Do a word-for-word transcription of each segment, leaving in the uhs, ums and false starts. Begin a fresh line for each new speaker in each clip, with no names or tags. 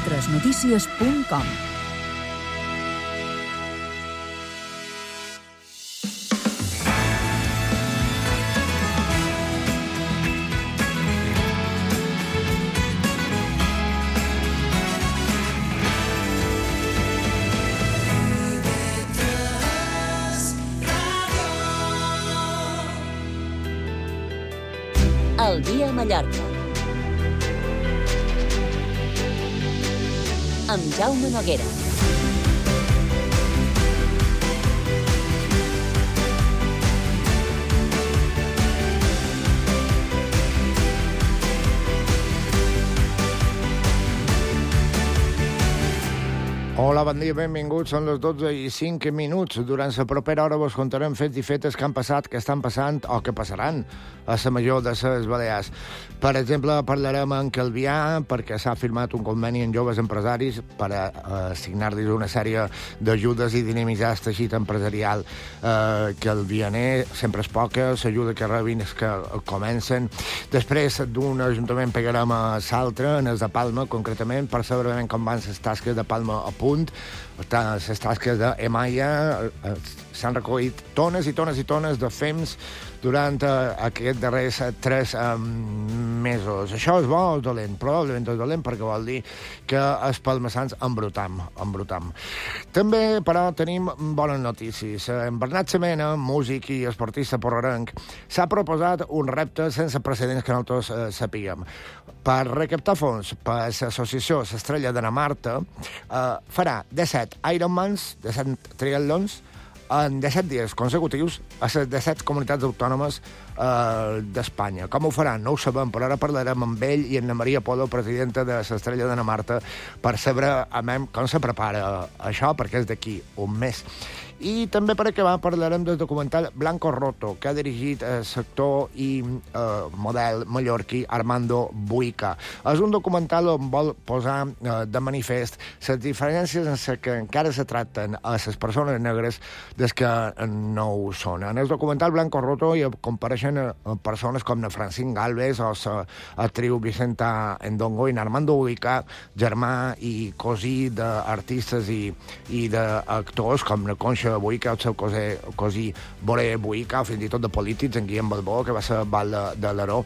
tres notícies punt com.
El dia a Mallorca. Amb Jaume Noguera.
Hola, bon dia, benvinguts. Són les dotze i cinc minuts. Durant la propera hora vos contarem fets i fetes que han passat, que estan passant o que passaran a la major de les Balears. Per exemple, parlarem en Calvià perquè s'ha firmat un conveni amb joves empresaris per a assignar-los una sèrie d'ajudes i dinamitzar el teixit empresarial eh, calvianer. Sempre és poca, l'ajuda que rebin és que comencen. Després d'un ajuntament pegarem a l'altre, en el de Palma, concretament, per saber ben com van les tasques de Palma a punt. Les tasques d'Emaia s'han recollit tones i tones i tones de fems durant aquests darrers tres mesos. Això és bo o dolent? Probablement és dolent perquè vol dir que els palmassans embrutam, embrutam. També, però, tenim bones notícies. En Bernat Semena, músic i esportista porrerenc, s'ha proposat un repte sense precedents que nosaltres eh, sapiguem. Per recaptar fons per l'associació L'Estrella de Namarta, eh, farà disset Ironmans, disset triatlons, en disset dies consecutius a les disset comunitats autònomes eh, d'Espanya. Com ho faran? No ho sabem, però ara parlarem amb ell i amb Maria Polo, presidenta de l'Estrella de Namarta, per saber amb com se prepara això, perquè és d'aquí un mes. I també, per acabar, parlarem del documental Blanco Roto, que ha dirigit el sector i eh, model mallorquí Armando Buica. És un documental on vol posar eh, de manifest les diferències en les que encara se tracten a les persones negres des que no ho són. En el documental Blanco Roto hi compareixen eh, persones com na Francine Galvez o l'actriu Vicenta Endongo i Armando Buica, germà i cosí d'artistes i, i d'actors com na Concha Buica, el seu cosí, cosí Boré Buica, o fins i tot de polítics, en Guillem Balbó, que va ser val de, de l'Aró.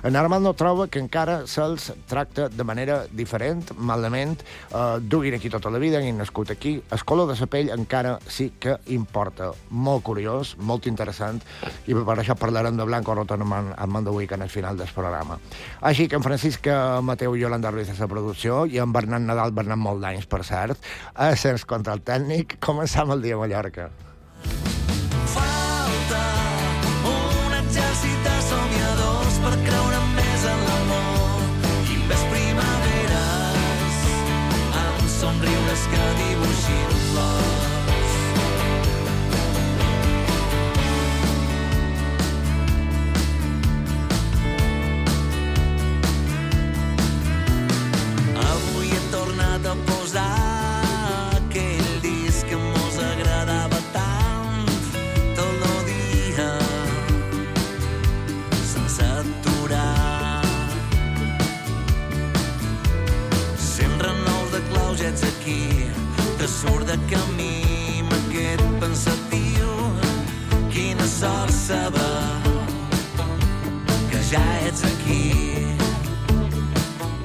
En Armando troba que encara se'ls tracta de manera diferent, malament, eh, duguin aquí tota la vida, han nascut aquí. El color de la pell encara sí que importa. Molt curiós, molt interessant, i per això parlarem de Blanco Roto amb Armando Buica en el final del programa. Així que en Francisc Mateu i Yolanda Ruiz a la producció, i en Bernat Nadal, Bernat molt d'anys, per cert, a sens control tècnic. Començam el dia a Mallorca.
Falta un exèrcit de somiadors per creure més en l'amor i més primaveres amb somriures que dibuixin flors. Avui he tornat a posar aquí, que surt de camí amb aquest pensatiu. Quina sort saber que ja ets aquí.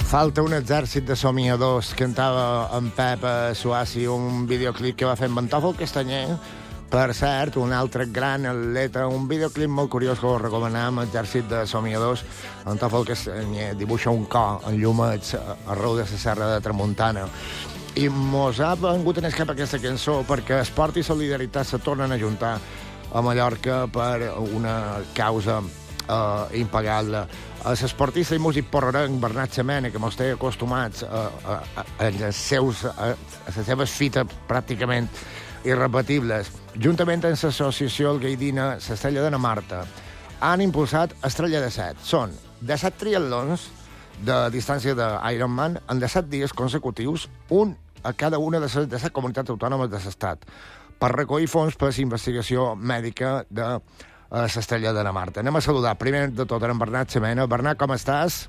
Falta un exèrcit de somiadors, cantava en Pep Suassi, un videoclip que va fer en Pantòfol Castanyer. Per cert, un altre gran atleta, un videoclip molt curiós que us recomanem, Exèrcit de Somiadors. En Pantòfol Castanyer dibuixa un cor en llumets arreu de la serra de Tramuntana. I mos ha vengut en escap aquesta cançó perquè esport i solidaritat se tornen a juntar a Mallorca per una causa eh, impagable. L'esportista i músic porrerenc Bernat Semena, que mos té acostumats a, a, a, a, les seus, a, a les seves fites pràcticament irrepetibles, juntament amb l'associació El Gaidina, l'Estrella de Namarta, han impulsat Estrella de Set. Són disset triatlons de distància d'Ironman en disset dies consecutius, un a cada una de les disset comunitats autònomes de l'Estat, per recollir fons per la investigació mèdica de l'Estrella de Namarta. Anem a saludar primer de tot en Bernat Semena. Bernat, com estàs?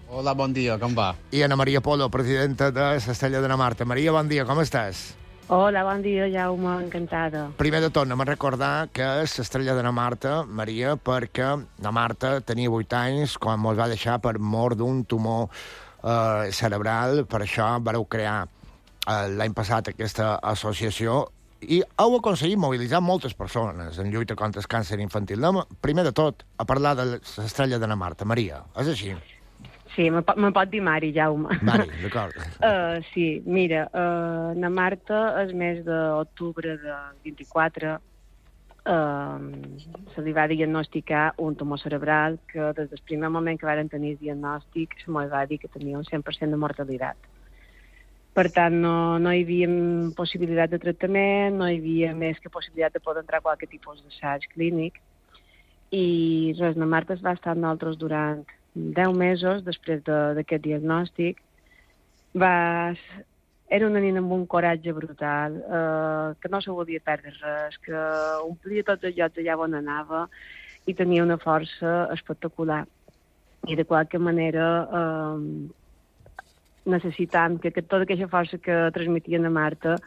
Hola, bon dia, com va?
I Ana Maria Polo, presidenta de l'Estrella de Marta. Maria, bon dia, com estàs?
Hola, bon dia, Jaume, encantada.
Primer de tot, anem a recordar que és l'Estrella de Marta, Maria, perquè la Marta tenia vuit anys quan ens va deixar per mort d'un tumor eh, cerebral. Per això vareu crear eh, l'any passat aquesta associació i heu aconseguit mobilitzar moltes persones en lluita contra el càncer infantil. Anem, primer de tot, a parlar de l'Estrella de Marta. Maria, és així?
Sí, me, me pot dir Mari, Jaume.
Mari, d'acord.
Uh, sí, mira, uh, na Marta el mes d'octubre de vint-i-quatre uh, se li va diagnosticar un tumor cerebral que des del primer moment que varen tenir el diagnòstic se m'ho va dir que tenia un cent per cent de mortalitat. Per tant, no, no hi havia possibilitat de tractament, no hi havia més que possibilitat de poder entrar a qualsevol tipus d'assaig clínic. I res, la Marta es va estar amb nosaltres durant deu mesos després d'aquest de, diagnòstic. Va... Era una nina amb un coratge brutal, eh, que no se volia perdre res, que omplia tots els llocs allà on anava i tenia una força espectacular. I de qualque manera... Eh, necessitant que, que tota aquesta força que transmetien a Marta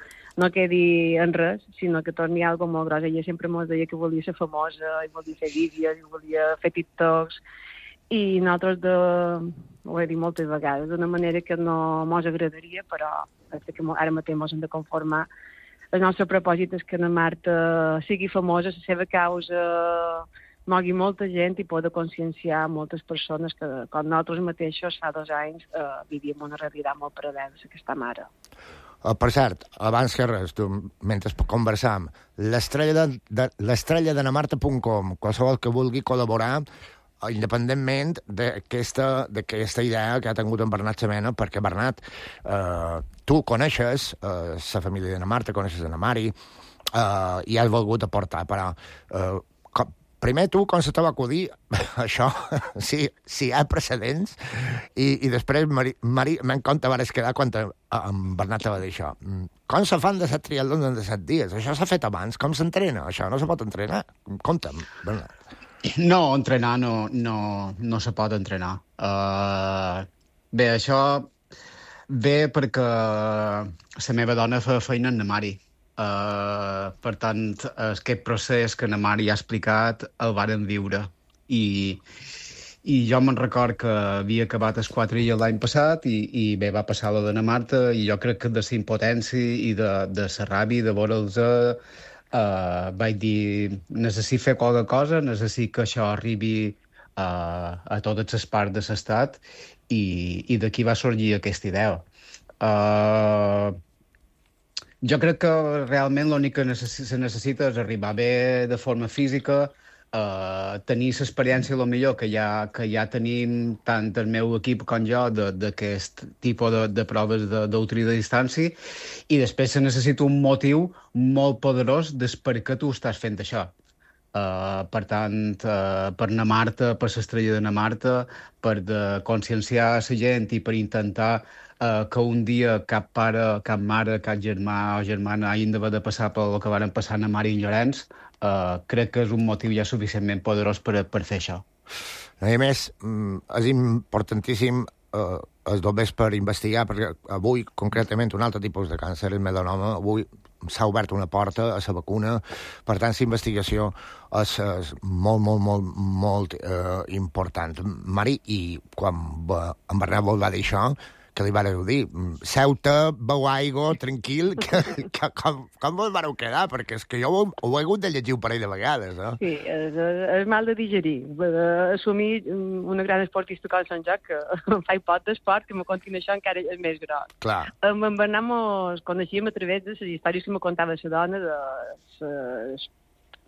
no quedi en res, sinó que torni a algo molt gros. Ella sempre ens deia que volia ser famosa, i volia fer vídeos, i volia fer TikToks, i nosaltres, de, ho he dit moltes vegades, d'una manera que no mos agradaria, però que ara mateix mos hem de conformar. El nostre propòsit és que la Marta sigui famosa, la seva causa mogui molta gent i poder conscienciar moltes persones que, com nosaltres mateixos, fa dos anys, eh, vivíem una realitat molt paral·lela a aquesta mare.
Uh, per cert, abans que res, tu, mentre conversam, l'estrella de, de, l'estrella de namarta punt com, qualsevol que vulgui col·laborar, independentment d'aquesta idea que ha tingut en Bernat Semena, perquè, Bernat, eh, tu coneixes eh, la família de na Marta, coneixes la Mari, eh, i has volgut aportar, però... Eh, com, primer, tu, com se te va acudir això, si, si hi ha precedents, i, i després, Mari, Mari m'en compte vares quedar quan te, en Bernat te va dir això. Com se fan de set triatlons en de set dies? Això s'ha fet abans. Com s'entrena? Això no se pot entrenar? Compta'm, Bernat.
No, entrenar no, no, no se pot entrenar. Uh, bé, això ve perquè la meva dona fa feina en la Mari. Uh, per tant, aquest procés que na Mari ha explicat el varen viure. I, i jo me'n record que havia acabat el quatre I l'any passat i, i bé, va passar la de na Marta i jo crec que de la impotència i de, de la ràbia de veure'ls uh, vaig dir, necessito fer qualque cosa, necessito que això arribi uh, a totes les parts de l'estat i, i d'aquí va sorgir aquesta idea. Uh, Jo crec que realment l'únic que necess- se necessita és arribar bé de forma física, eh, tenir l'experiència, el millor, que ja, que ja tenim tant el meu equip com jo d'aquest tipus de, de proves d'ultra de distància, i després se necessita un motiu molt poderós des per què tu estàs fent això. Uh, per tant, uh, per na Marta, per l'estrella de na Marta, per de conscienciar la gent i per intentar Uh, que un dia cap pare, cap mare, cap germà o germana hagin d'haver de passar pel que varen passar na Mari i en Llorenç, uh, crec que és un motiu ja suficientment poderós per, per fer això.
A més, és importantíssim uh, els dobbers per investigar, perquè avui, concretament, un altre tipus de càncer, el melanoma, avui s'ha obert una porta a la vacuna, per tant, la investigació és, és molt, molt, molt, molt uh, important. Mari, i quan en Bernat vol va dir això, que li vareu dir, seu-te, beu aigua, tranquil, que, que com, com vos vareu quedar? Perquè és que jo ho, ho he hagut de llegir un parell de vegades, eh?
Sí, és, és mal de digerir. Assumir una gran esportista com Sant Joc, que em fa pot d'esport, que me continua això encara és més gros.
Clar.
Amb en Bernat mos coneixíem a través de les històries que me contava la dona, de ses,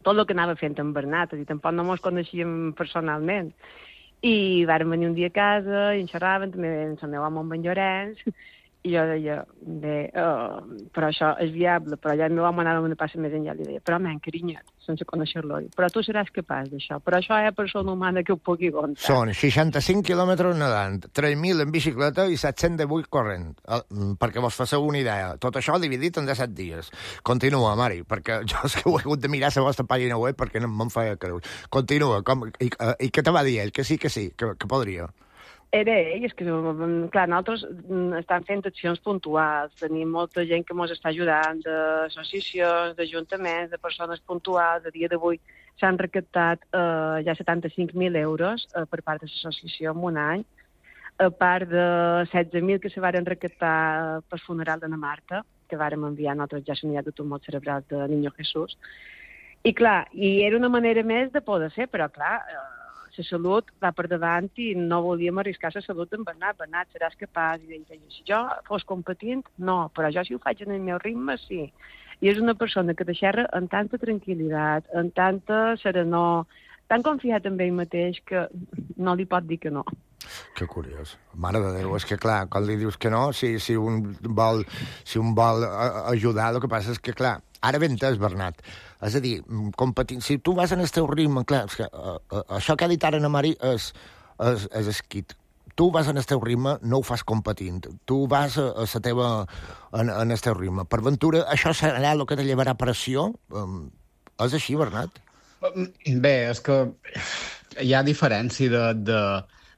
tot el que anava fent en Bernat, és a dir, tampoc no mos coneixíem personalment. I vàrem venir un dia a casa i en xerraven, també en el meu home amb en Llorenç, i jo deia, bé, uh, però això és viable, però allà el meu home anava una passa més enllà, li deia, però men, carinyet, sense conèixer-lo, però tu seràs capaç d'això, però això hi ha persona humana que ho pugui aguantar.
Són seixanta-cinc quilòmetres nedant, tres mil en bicicleta i set-cents divuit corrent, perquè vos faceu una idea. Tot això dividit en disset dies. Continua, Mari, perquè jo és que ho he hagut de mirar a la vostra pàgina web perquè no me'n feia creure. Continua, com, i, i què te va dir ell? Que sí, que sí, que, que podria.
Era ell, és que, clar, nosaltres estem fent accions puntuals, tenim molta gent que ens està ajudant, d'associacions, d'ajuntaments, de persones puntuals. A dia d'avui s'han recaptat eh, ja setanta-cinc mil euros eh, per part de l'associació en un any, a part de setze mil que se varen recaptar pel funeral de na Marta, que vàrem enviar nosaltres ja l'unitat de tumor cerebral de Niño Jesús. I clar, i era una manera més de poder ser, però clar, eh, la salut va per davant i no volíem arriscar la salut en Bernat. Bernat, seràs capaç? I ell deia, si jo fos competint, no, però jo si ho faig en el meu ritme, sí. I és una persona que te xerra amb tanta tranquil·litat, amb tanta serenor, tan confiat en ell mateix que no li pot dir que no.
Que curiós. Mare de Déu, és que clar, quan li dius que no, si, si un vol, si un vol ajudar, el que passa és que, clar, ara ben entès, Bernat. És a dir, competint, si tu vas en el teu ritme, clar, és que, uh, uh, això que ha dit ara na Mari és, és, és esquit. Tu vas en el teu ritme, no ho fas competint. Tu vas a, a la teva, en, en el teu ritme. Per ventura, això serà el que te llevarà pressió? Um, és així, Bernat?
Bé, és que hi ha diferència de... de...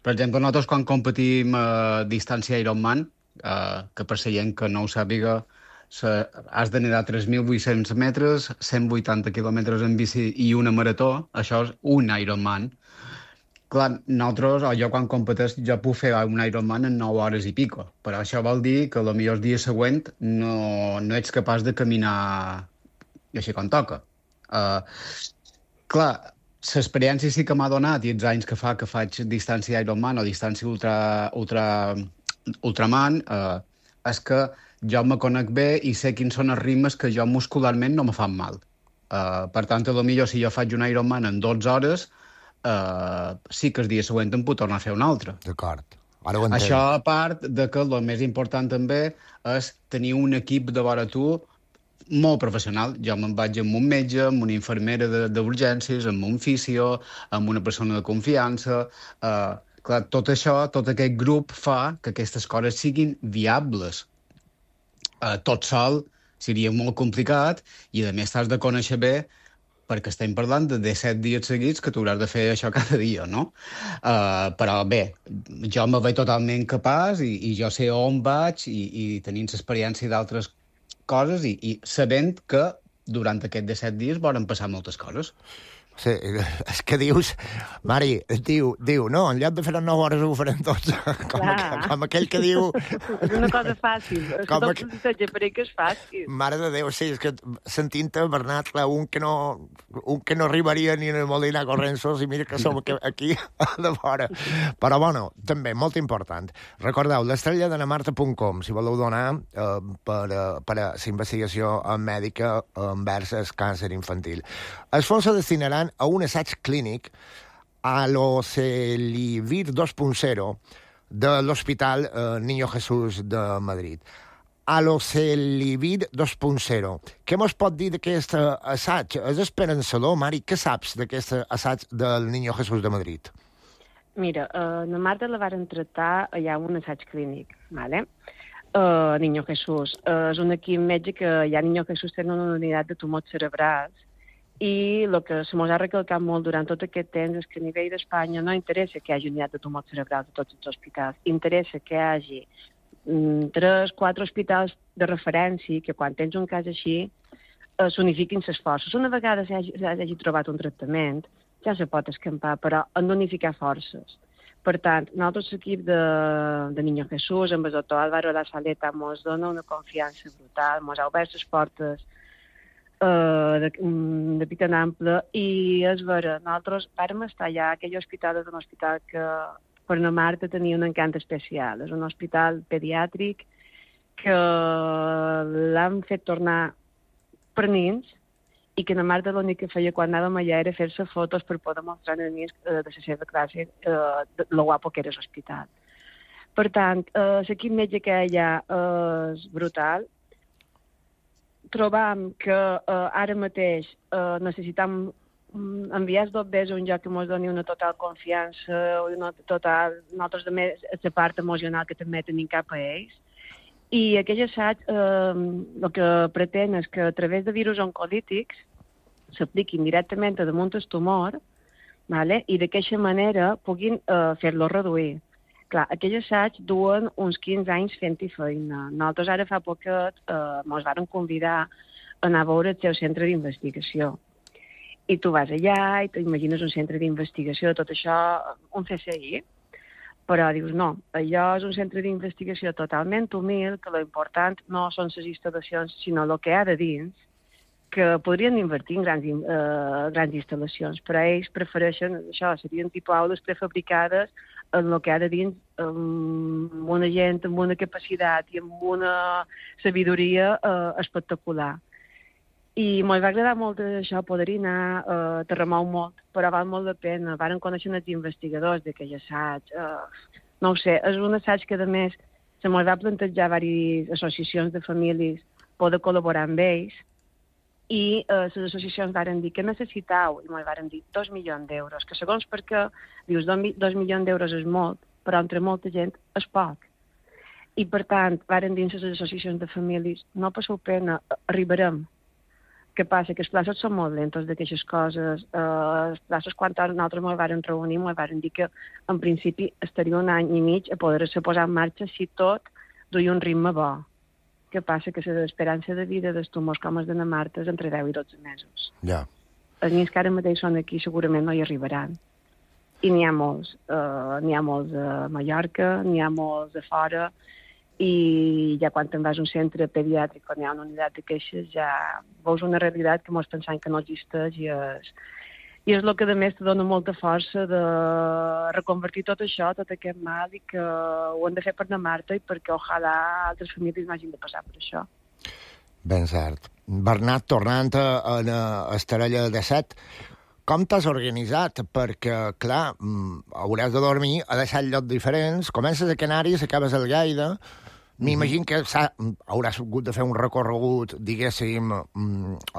Per exemple, nosaltres quan competim a distància Ironman, eh, que per la gent que no ho sàpiga, se, has de nedar tres mil vuit-cents metres, cent vuitanta quilòmetres en bici i una marató, això és un Ironman. Clar, nosaltres, o jo quan competeix, jo puc fer un Ironman en nou hores i pico, però això vol dir que potser el dia següent no, no ets capaç de caminar així com toca. Uh, clar, l'experiència sí que m'ha donat, i els anys que fa que faig distància Ironman o distància ultra, ultra, ultraman, eh, és que jo me conec bé i sé quins són els ritmes que jo muscularment no me fan mal. Eh, per tant, potser si jo faig un Ironman en dotze hores, eh, sí que el dia següent em puc tornar a fer un altre.
D'acord. Ara ho entenc.
Això a part de que el més important també és tenir un equip de vora tu molt professional. Jo me'n vaig amb un metge, amb una infermera d'urgències, amb un fisio, amb una persona de confiança. Uh, clar, tot això, tot aquest grup fa que aquestes coses siguin viables. Uh, tot sol seria molt complicat i, a més, t'has de conèixer bé perquè estem parlant de disset dies seguits que tu hauràs de fer això cada dia, no? Uh, però bé, jo me veig totalment capaç i, i jo sé on vaig i, i tenint l'experiència d'altres coses i, i sabent que durant aquests disset dies volen passar moltes coses.
Sí, és que dius, Mari, diu, diu, no, en lloc de fer-ho en nou hores ho farem tots, com, aqu com aquell que diu...
És una cosa fàcil, és que tot el per que és fàcil.
Mare de Déu, sí, és que sentint-te, Bernat, clar, un que no, un que no arribaria ni en el Molina Corrensos, i mira que som aquí de fora. Però, bueno, també, molt important. Recordeu, l'estrella de namarta punt com, si voleu donar eh, per, eh, per a la investigació mèdica envers el càncer infantil. Els fons se destinaran a un assaig clínic a l'Ocelivir dos punt zero de l'Hospital eh, Niño Jesús de Madrid. A l'Ocelivir dos punt zero. Què mos pot dir d'aquest assaig? És esperançador, Mari? Què saps d'aquest assaig del Niño Jesús de Madrid?
Mira, eh, la Marta la varen tractar allà un assaig clínic, ¿vale? Uh, Niño Jesús. Uh, és un equip metge que ja Niño Jesús té una unitat de tumors cerebrals i el que se mos ha recalcat molt durant tot aquest temps és que a nivell d'Espanya no interessa que hi hagi unitat de tumors cerebrals a tots els hospitals, interessa que hi hagi mm, tres, quatre hospitals de referència que quan tens un cas així eh, s'unifiquin les forces. Una vegada s'hagi, s'hagi trobat un tractament ja se pot escampar, però han d'unificar forces. Per tant, nosaltres l'equip de, de Niño Jesús, amb el doctor Álvaro La Saleta, ens dona una confiança brutal, ens ha obert les portes uh, de, de pit en ample, i és vera, nosaltres vàrem estar allà, aquell hospital és un hospital que per na Marta tenia un encant especial, és un hospital pediàtric que l'han fet tornar per nins, i que na Marta l'únic que feia quan anàvem allà era fer-se fotos per poder mostrar als nens eh, de la seva classe eh, lo guapo que era l'hospital. Per tant, eh, l'equip metge que hi ha eh, és brutal. Trobam que eh, ara mateix eh, necessitam enviar els dobbers a un lloc que ens doni una total confiança, una total, nosaltres també la part emocional que també tenim cap a ells. I aquell assaig eh, el que pretén és que a través de virus oncolítics s'apliquin directament a damunt el tumor, vale? I d'aquesta manera puguin eh, fer-lo reduir. Clar, aquell assaig duen uns quinze anys fent-hi feina. Nosaltres ara fa poquet eh, mos varen convidar a anar a veure el seu centre d'investigació. I tu vas allà i t'imagines un centre d'investigació, tot això, un C S I, però dius no, allò és un centre d'investigació totalment humil, que l'important no són les instal·lacions, sinó el que hi ha de dins, que podrien invertir en grans, eh, grans instal·lacions, però ells prefereixen això, serien tipus aules prefabricades en el que ha de dins, amb una gent amb una capacitat i amb una sabidoria eh, espectacular. I m'ho va agradar molt això, poder-hi anar, eh, te remou molt, però val molt la pena. Varen conèixer els investigadors d'aquell assaig. Eh, no ho sé, és un assaig que, a més, se m'ho va plantejar diverses associacions de famílies poder col·laborar amb ells, i eh, les associacions varen dir que necessitau, i m'ho varen dir, dos milions d'euros, que segons perquè dius dos, dos milions d'euros és molt, però entre molta gent és poc. I, per tant, varen dir les associacions de famílies, no passeu pena, arribarem. Què passa? Que els plaços són molt lentos d'aquestes coses. Eh, els plaços, quan nosaltres ens vam reunir, ens van dir que, en principi, estaria un any i mig a poder-se posar en marxa si tot duia un ritme bo. Què passa? Que l'esperança de vida dels tumors com els de na Marta és entre deu i dotze mesos.
Ja.
Els nens que ara mateix són aquí segurament no hi arribaran. I n'hi ha molts. Uh, n'hi ha molts a Mallorca, n'hi ha molts a fora, i ja quan te'n vas a un centre pediàtric, quan hi ha una unitat de queixes, ja veus una realitat que mos pensant que no existeix, i és, i és el que, a més, te dona molta força de reconvertir tot això, tot aquest mal, i que ho hem de fer per na Marta i perquè, ojalà, altres famílies m'hagin de passar per això.
Ben cert. Bernat, tornant a, a Estarella de Set, com t'has organitzat? Perquè, clar, hauràs de dormir a deixar llocs diferents. Comences a Canàries, acabes al Lleida. M'imagino que hauràs hagut de fer un recorregut, diguéssim,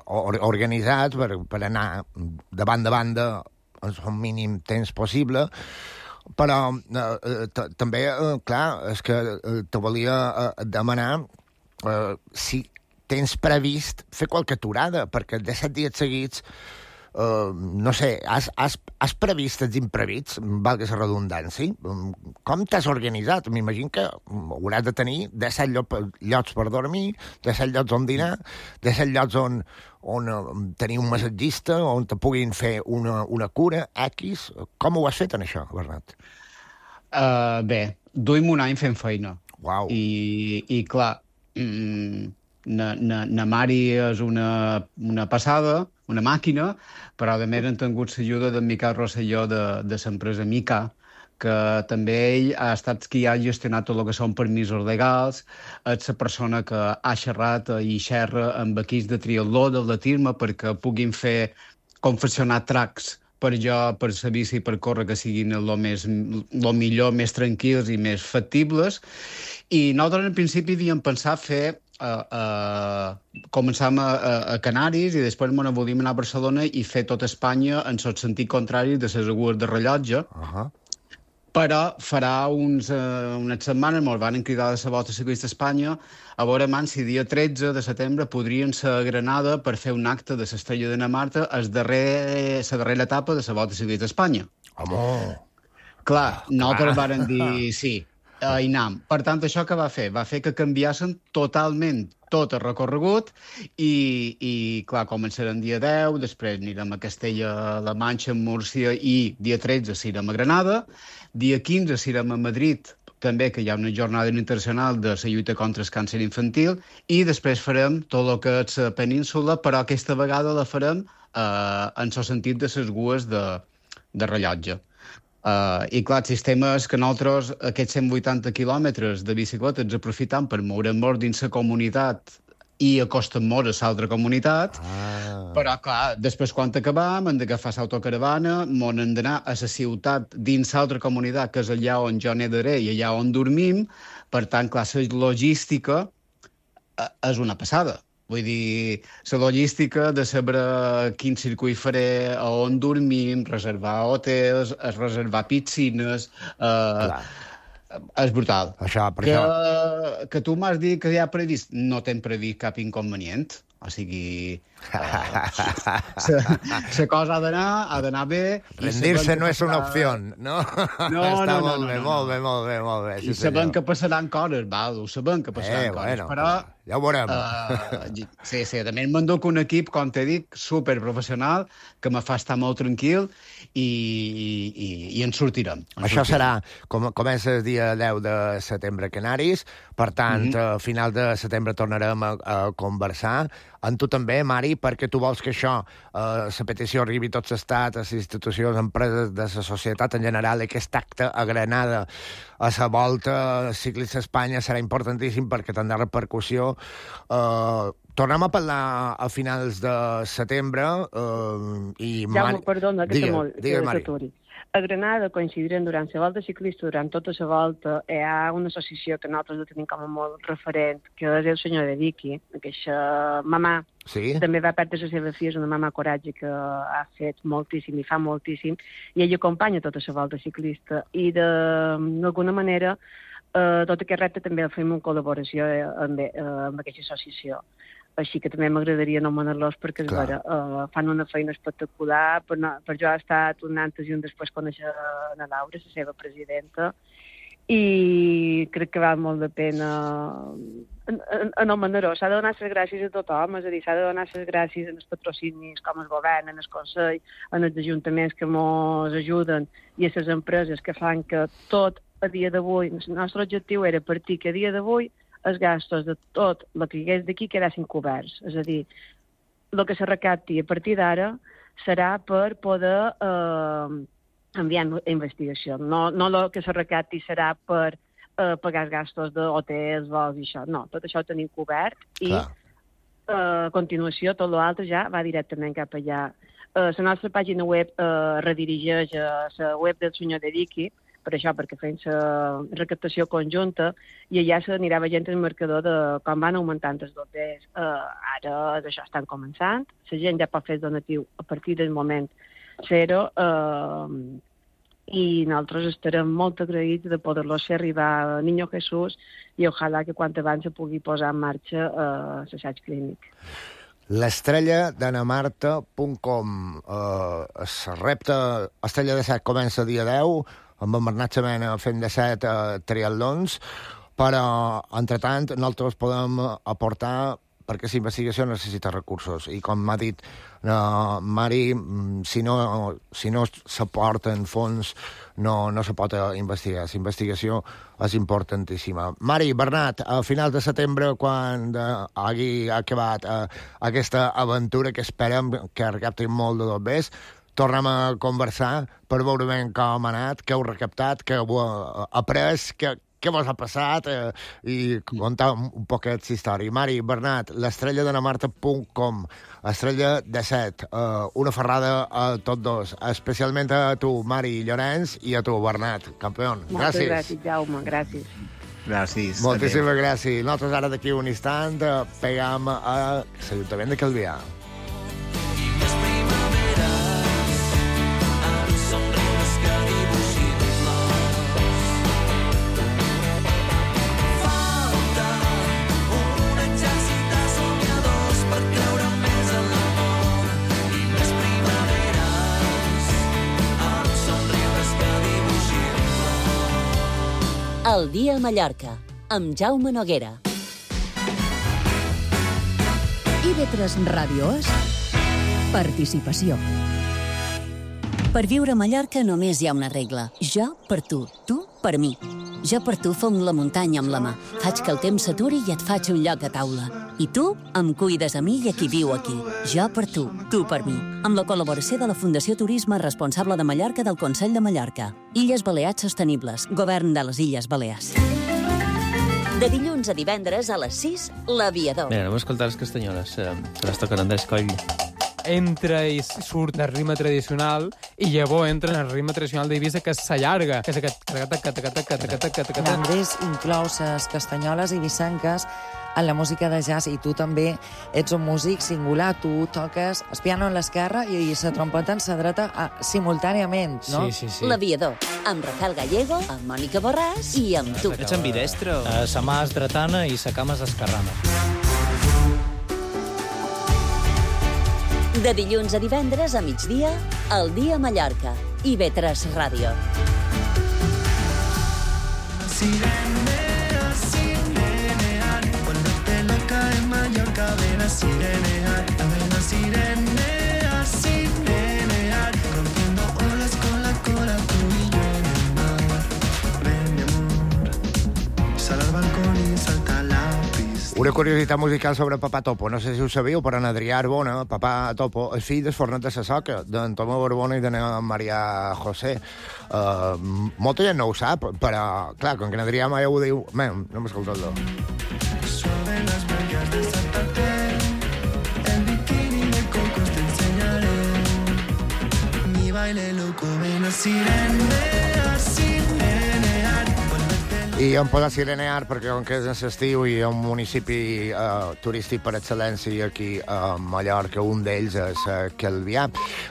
organitzat per, per anar de banda a banda en el mínim temps possible, però eh, també, eh, clar, és que eh, te volia eh, demanar eh, si tens previst fer qualque aturada, perquè de set dies seguits Uh, no sé, has, has, has previst els imprevits, valga la redundància? Com t'has organitzat? M'imagino que hauràs de tenir disset llocs per dormir, disset llocs on dinar, disset llocs on, on tenir un massatgista, on te puguin fer una, una cura, X. Com ho has fet, en això, Bernat?
Uh, bé, duim un any fent feina.
Uau.
I, i clar, mm, na, na, na Mari és una, una passada, una màquina, però a més han tingut l'ajuda d'en Miquel Rosselló de, de l'empresa Mica, que també ell ha estat qui ha gestionat tot el que són permisos legals, és la persona que ha xerrat i xerra amb equips de triatló del de Tirma perquè puguin fer confeccionar tracks per jo, per la bici i per córrer, que siguin el més, lo millor, més tranquils i més factibles. I nosaltres, en principi, havíem pensat fer Uh, uh, començàvem a, a, a Canàries i després ens volíem anar a Barcelona i fer tot Espanya en el sentit contrari de les agues de rellotge.
Uh-huh.
Però farà uns, uh, unes setmanes ens van cridar de la Volta Ciclista Espanya a veure man si dia tretze de setembre podrien ser a Granada per fer un acte de l'Estrella de na Marta, la darrer, darrera etapa de la Volta Ciclista Espanya.
Home!
Clar, nosaltres varen dir sí. a Inam. Per tant, això que va fer? Va fer que canviassen totalment tot el recorregut i, i clar, començarem dia deu, després anirem a Castella-La Manxa, a Múrcia, i dia tretze anirem a Granada, dia quinze anirem a Madrid, també que hi ha una jornada internacional de la lluita contra el càncer infantil, i després farem tot el que és la península, però aquesta vegada la farem eh, en el sentit de les gues de, de rellotge. Uh, I clar, el sistema és que nosaltres aquests cent vuitanta quilòmetres de bicicleta ens aprofitam per moure'm molt dins la comunitat i acostem molt a l'altra comunitat, ah. Però clar, després quan acabam hem d'agafar l'autocaravana, m'on hem d'anar a la ciutat dins l'altra comunitat, que és allà on jo nedaré i allà on dormim. Per tant, clar, la logística és una passada. Vull dir, la logística de saber quin circuit faré, a on dormim, reservar hotels, reservar piscines... Eh, és brutal.
Això, per
que,
això...
que tu m'has dit que ja ha previst, no t'hem previst cap inconvenient. O sigui, la cosa ha d'anar, ha d'anar bé...
Rendir-se no és una opció, no?
No,
Està
no,
molt
no,
bé,
no,
molt
no.
bé, molt bé, molt bé.
I sabem que passaran coses, val, ho sabem que passaran
Eh,
coses,
bueno,
però...
ja ho veurem.
Uh, sí, sí, també m'enduc un equip, com t'he dit, superprofessional, que me fa estar molt tranquil i, i, i en sortirem. En
Això
sortirem.
serà, com, comença el dia deu de setembre a Canaris, per tant,
Mhm.
a final de setembre tornarem a, a conversar. Amb tu també, Mari, perquè tu vols que això, eh, la petició arribi a tot l'estat, a les institucions, empreses de la societat en general, i aquest acte a Granada a la volta ciclista a Espanya serà importantíssim perquè tindrà repercussió. Eh, tornem a parlar a finals de setembre eh, i...
Jaume, perdona, que
Digue,
molt,
digue,
que
Mari.
t'aturi. A Granada coincidirem durant la volta ciclista, durant tota la volta, hi ha una associació que nosaltres la tenim com a molt referent, que és el senyor de Vicky, aquesta mamà,
Sí?
també va perdre la seva filla, és una mamà coratge que ha fet moltíssim i fa moltíssim, i ella acompanya tota la volta ciclista, i d'alguna manera eh, tot aquest repte també el fem en col·laboració eh, amb, eh, amb aquesta associació. Així que també m'agradaria anomenar-los perquè és
Clar.
vera, uh, fan una feina espectacular. Per, no, per jo ha estat un antes i un després conèixer la Laura, la seva presidenta, i crec que val molt de pena anomenar-ho. S'ha de donar les gràcies a tothom, és a dir, s'ha de donar les gràcies als patrocinis, com el govern, en el Consell, en els ajuntaments que ens ajuden i a les empreses que fan que tot a dia d'avui, el nostre objectiu era partir que a dia d'avui els gastos de tot el que hi hagués d'aquí quedassin coberts. És a dir, el que se recapti a partir d'ara serà per poder eh, enviar a investigació. No, no el que se recapti serà per eh, pagar els gastos d'hotels, vols i això. No, tot això ho tenim cobert i
Clar.
eh, a continuació tot l'altre ja va directament cap allà. Eh, la nostra pàgina web eh, redirigeix a la web del senyor de Vicky, per això, perquè fem la recaptació conjunta, i allà s'anirà veient el marcador de com van augmentant els doters. Uh, ara això estan començant, la gent ja pot fer el donatiu a partir del moment zero, uh, i nosaltres estarem molt agraïts de poder-los fer arribar a Niño Jesús i ojalà que quan abans se pugui posar en marxa uh, l'assaig clínic.
L'estrella d'anamarta punt com. Uh, el repte Estrella de Set comença dia deu, amb en Bernat Semena fent de set uh, triatlons, però, entretant, nosaltres podem aportar perquè la investigació necessita recursos. I com m'ha dit uh, Mari, si no, si no s'aporten fons, no, no se pot investigar. La investigació és importantíssima. Mari, Bernat, a finals de setembre, quan uh, hagi acabat uh, aquesta aventura que esperem que recapti molt de dobbers, tornem a conversar per veure ben com ha anat, què heu recaptat, què heu uh, après, què, què vos ha passat eh, i contar un, un poquet la història. Mari, Bernat, l'estrella d'anamarta punt com, estrella de set, eh, una ferrada a tots dos, especialment a tu, Mari Llorenç, i a tu, Bernat, campió.
Moltes
Gràcies.
gràcies, Jaume, gràcies.
Gràcies.
Moltíssimes gràcies. Nosaltres ara d'aquí un instant eh, pegam a l'Ajuntament de Calvià.
El dia a Mallorca, amb Jaume Noguera.
I ve tres Ràdios. Participació.
Per viure a Mallorca només hi ha una regla. Jo per tu, tu per mi. Jo per tu fom la muntanya amb la mà. Faig que el temps s'aturi i et faig un lloc a taula. I tu em cuides a mi i a qui viu aquí. Jo per tu, tu per mi. Amb la col·laboració de la Fundació Turisme Responsable de Mallorca del Consell de Mallorca. Illes Balears Sostenibles. Govern de les Illes Balears.
De dilluns a divendres a les sis, l'Aviador.
Mira, anem a escoltar les castanyoles. Se, se les toquen Andrés Coll.
Entra i surt del ritme tradicional i llavors entra en el ritme tradicional d'Eivissa, que s'allarga, que és aquest...
Andrés inclou les castanyoles ibisenques en la música de jazz, i tu també ets un músic singular. Tu toques el piano en l'esquerra i la trompeta en la dreta a, simultàniament, no?
Sí, sí, sí.
L'Aviador, amb Rafael Gallego, amb Mònica Borràs i amb tu.
Ets ambidestre?
Uh, sa mà és dretana i sa cama és esquerrana.
De dilluns a divendres a migdia, El dia a Mallorca. I ve tres Ràdio.
Sirenea, sirenear, volverte loca en Mallorca, ven a sirenear, ven a sirenea, sirenear, rompiendo olas con la cola, tú y yo en el mar. Ven, mi amor, sal al balcón y salta la pista.
Una curiositat musical sobre Papà Topo. No sé si ho sabíeu, però en Adrià Arbona, Papà Topo, és fill del fornet de la Soca, d'en Tomeu Arbona i de Maria José. Uh, molta gent no ho sap, però, clar, com que en Adrià mai ho diu... Bé, no m'escoltat-lo.
Suave las huellas de Santa Fe, el bikini de cocos te enseñaré. Mi baile loco, ven a sirenear, sirenear, volverte loco.
I hem posat Sirenear perquè, com que és en l'estiu i un municipi uh, turístic per excel·lència aquí a Mallorca, un d'ells és uh, Calvià.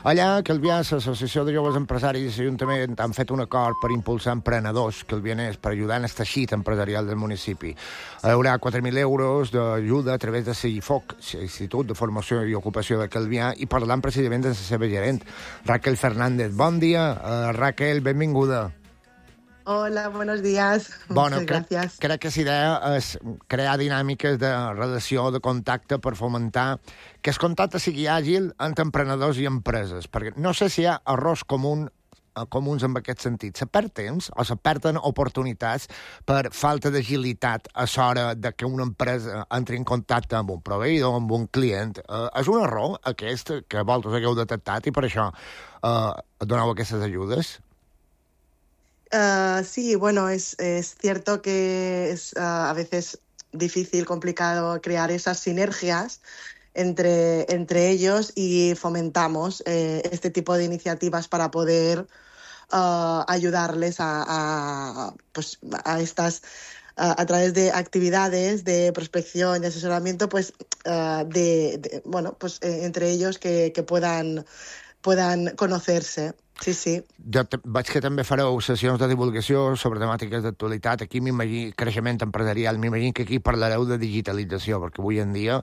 Allà, a Calvià, l'Associació de Joves Empresaris i l'Ajuntament han fet un acord per impulsar emprenedors calvianers per ajudar en el teixit empresarial del municipi. Hi haurà quatre mil euros d'ajuda a través de l'I F O C, l'Institut de Formació i Ocupació de Calvià, i parlant precisament de la seva gerent, Raquel Fernández. Bon dia, uh, Raquel, benvinguda.
Hola, buenos días.
Bueno,
Muchas
crec,
gracias.
crec que l'idea és crear dinàmiques de relació, de contacte per fomentar que el contacte sigui àgil entre emprenedors i empreses, perquè no sé si hi ha errors común, comuns en aquest sentit. Se perd temps o se perden oportunitats per falta d'agilitat a l'hora de que una empresa entri en contacte amb un proveïdor, amb un client. Eh, és un error aquest que vosaltres hagueu detectat i per això eh, doneu aquestes ajudes?
Uh, sí, bueno, es, es cierto que es uh, a veces difícil, complicado crear esas sinergias entre, entre ellos y fomentamos eh, este tipo de iniciativas para poder uh, ayudarles a, a, pues, a estas... Uh, a través de actividades de prospección y asesoramiento, pues, uh, de, de, bueno, pues eh, entre ellos que, que puedan, puedan conocerse. Sí, sí.
Jo te, veig que també fareu sessions de divulgació sobre temàtiques d'actualitat. Aquí m'imagino creixement empresarial, m'imagino que aquí parlareu de digitalització, perquè avui en dia,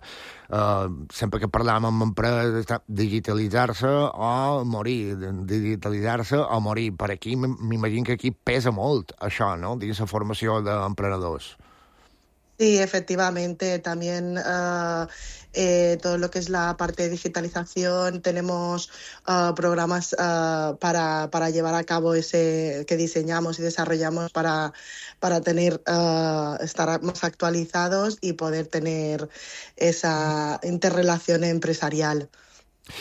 eh, sempre que parlàvem amb empreses, digitalitzar-se o morir, digitalitzar-se o morir. Per aquí m'imagino que aquí pesa molt això, no?, dins la formació d'emprenedors.
Sí, efectivamente. También uh, eh, todo lo que es la parte de digitalización, tenemos uh, programas uh, para, para llevar a cabo ese que diseñamos y desarrollamos para, para tener uh, estar más actualizados y poder tener esa interrelación empresarial.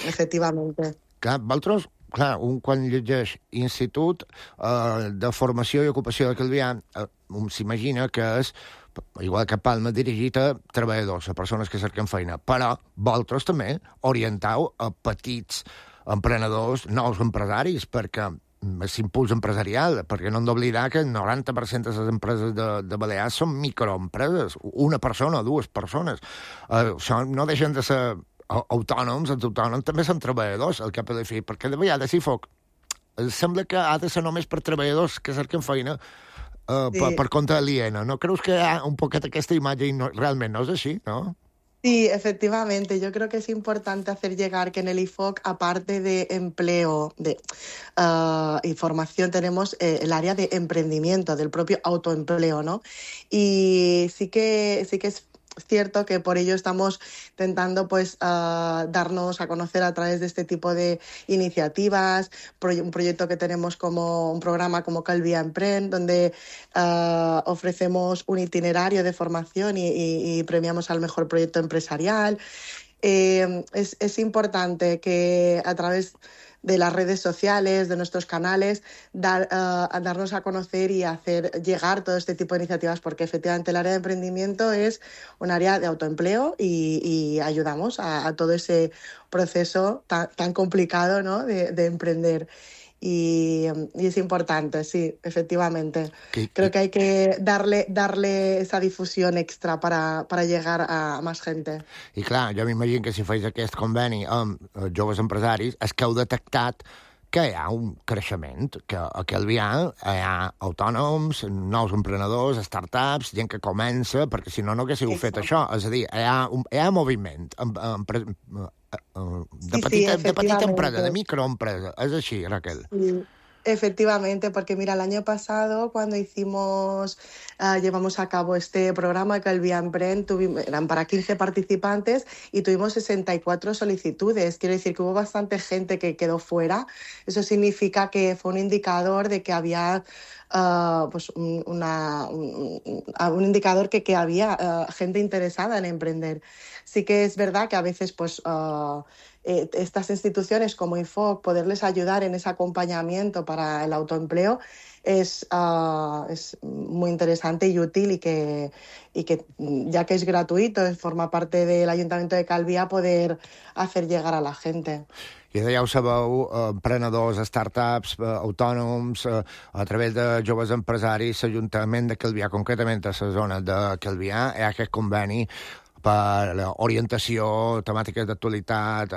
Efectivamente.
Clar, vosaltres, clar, un quan llegeix Institut eh, de Formació i Ocupació de Calvià, eh, s'imagina que és, igual que Palma, dirigit a treballadors, a persones que cerquen feina, però vosaltres també orientau a petits emprenedors, nous empresaris, perquè és impuls empresarial, perquè no hem d'oblidar que el noranta per cent de les empreses de, de Balears són microempreses, una persona o dues persones. Eh, això no deixen de ser autònoms, els autònoms també són treballadors al cap de la fi, perquè de vegades, si foc, sembla que ha de ser només per treballadors que cerquen feina uh, sí. per, per compte aliena. ¿No creus que hi ha un poquet aquesta imatge i no, realment no és així, no?
Sí, efectivamente. Yo creo que es importante hacer llegar que en el I F O C, aparte de empleo de, uh, y formación, tenemos eh, el área de emprendimiento, del propio autoempleo, ¿no? Y sí que, sí que es cierto que por ello estamos intentando pues uh, darnos a conocer a través de este tipo de iniciativas, proye- un proyecto que tenemos como un programa como Calvià Emprèn, donde uh, ofrecemos un itinerario de formación y, y, y premiamos al mejor proyecto empresarial. Eh, es, es importante que a través de las redes sociales, de nuestros canales, dar, uh, darnos a conocer y hacer llegar todo este tipo de iniciativas, porque efectivamente el área de emprendimiento es un área de autoempleo y, y ayudamos a, a todo ese proceso tan, tan complicado, ¿no?, de, de emprender. Y, y es importante, sí, efectivamente.
¿Qué,
Creo
qué?
que hay que darle, darle esa difusión extra para, para llegar a más gente.
I clar, jo m'imagino que si feis aquest conveni amb eh, joves empresaris és que heu detectat que hi ha un creixement, que a Calvià hi ha autònoms, nous emprenedors, startups, gent que comença, perquè si no, no haguéssiu fet això. És a dir, hi ha, un, hi ha moviment. Empre, de,
Sí,
petita,
sí,
de petita empresa,
efectivamente.
de microempresa. És així, Raquel.
Sí, efectivamente, porque mira, el año pasado cuando hicimos, eh, llevamos a cabo este programa Calvia Emprèn, tuvimos, eran para quince participantes y tuvimos sesenta y cuatro solicitudes. Quiero decir que hubo bastante gente que quedó fuera. Eso significa que fue un indicador de que había uh, pues un, una, un, un indicador que, que había uh, gente interesada en emprender. Sí que es verdad que a veces pues uh, eh, estas instituciones como I F O C, poderles ayudar en ese acompañamiento para el autoempleo es, uh, es muy interesante y útil y que, y que ya que es gratuito, forma parte del Ayuntamiento de Calvià, poder hacer llegar a la gente.
I ja ho sabeu, emprenedors, startups, autònoms, a través de joves empresaris, l'Ajuntament de Calvià, concretament a la zona de Calvià, hi ha aquest conveni per orientació, temàtiques d'actualitat,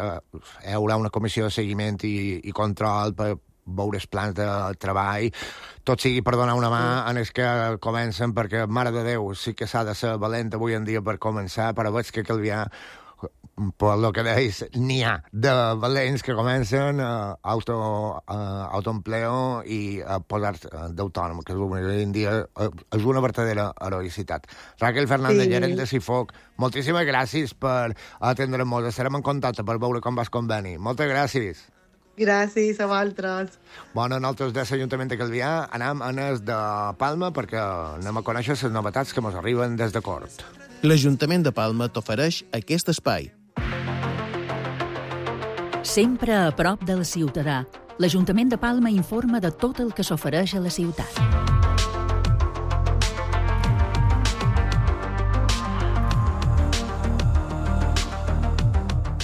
hi haurà una comissió de seguiment i, i control per veure els plans de treball, tot sigui per donar una mà en els que comencen, perquè, mare de Déu, sí que s'ha de ser valent avui en dia per començar, però veig que Calvià, per el que deis, n'hi ha de valents que comencen a auto, a autoempleo i a posar-se d'autònom, que avui en dia és una verdadera heroïcitat. Raquel Fernández,
Sí.
gerent de Cifoc, moltíssimes gràcies per atendre'ns. Estarem en contacte per veure com vas conveni. Moltes gràcies.
Gràcies a vosaltres.
Bueno, nosaltres de l'Ajuntament de Calvià anem a Nes de Palma perquè anem a conèixer les novetats que ens arriben des de Cort.
L'Ajuntament de Palma t'ofereix aquest espai.
Sempre a prop del ciutadà, l'Ajuntament de Palma informa de tot el que s'ofereix a la ciutat.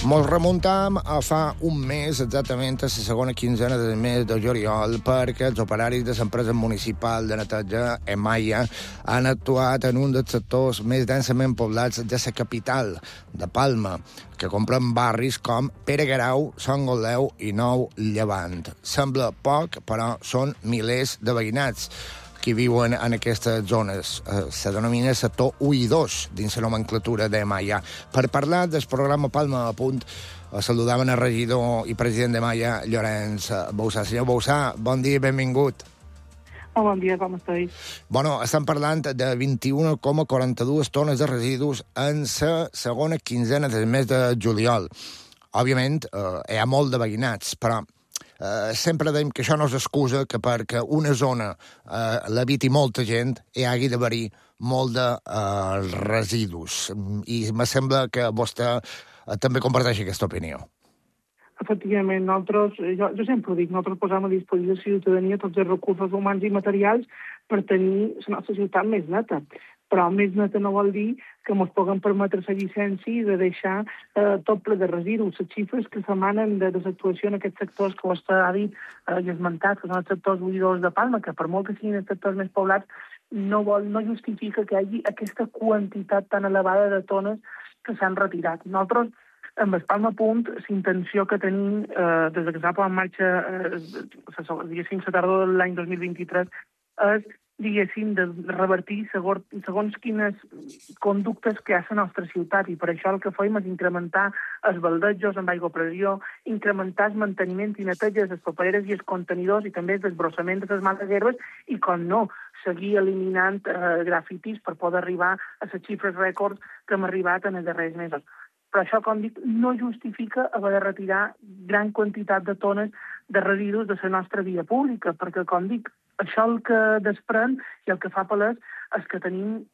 Mos remuntam a fa un mes, exactament a la segona quinzena del mes de juliol, perquè els operaris de l'empresa municipal de neteja Emaia han actuat en un dels sectors més densament poblats de la capital, de Palma, que compren barris com Pere Guerau, Sant Goleu i Nou Llevant. Sembla poc, però són milers de veïnats que viuen en aquestes zones. Eh, se denomina sector u i dos dins la nomenclatura de Maia. Per parlar del programa Palma a Punt, eh, saludaven el regidor i president de Maia, Llorenç Bousà. Senyor Bousà, bon dia i benvingut.
Oh, bon dia, com esteu?
Bueno, estem parlant de vint-i-una coma quaranta-dues tones de residus en la segona quinzena del mes de juliol. Òbviament, eh, hi ha molt de veïnats, però Uh, sempre dèiem que això no és excusa que perquè una zona uh, l'habiti molta gent hi hagi d'haver-hi molt de uh, residus. I me sembla que vostè uh, també comparteix aquesta opinió.
Efectivament, nosaltres, jo, jo sempre ho dic, nosaltres posem a disposició de la ciutadania tots els recursos humans i materials per tenir la nostra ciutat més neta. Però més neta no vol dir que ens puguem permetre la llicència de deixar eh, tot ple de residus. Les xifres que s'emanen de desactuació en aquests sectors que vostè ha dit eh, i esmentat, que són els sectors buidors de Palma, que per molt que siguin els sectors més poblats, no, vol, no justifica que hi hagi aquesta quantitat tan elevada de tones que s'han retirat. Nosaltres, amb el Palma Punt, la intenció que tenim eh, des que s'ha posat en marxa eh, diguéssim, la tardor de l'any dos mil vint-i-tres és diguéssim, de revertir segons, segons quines conductes que hi ha a la nostra ciutat, i per això el que fem és incrementar els baldejos amb aigua a pressió, incrementar el manteniment i neteja de les papereres i els contenidors i també el desbrossament de les males herbes i, com no, seguir eliminant eh, grafitis per poder arribar a les xifres rècords que hem arribat en els darrers mesos. Però això, com dic, no justifica haver de retirar gran quantitat de tones de residus de la nostra via pública, perquè, com dic, això el que desprèn i el que fa palès és que tenim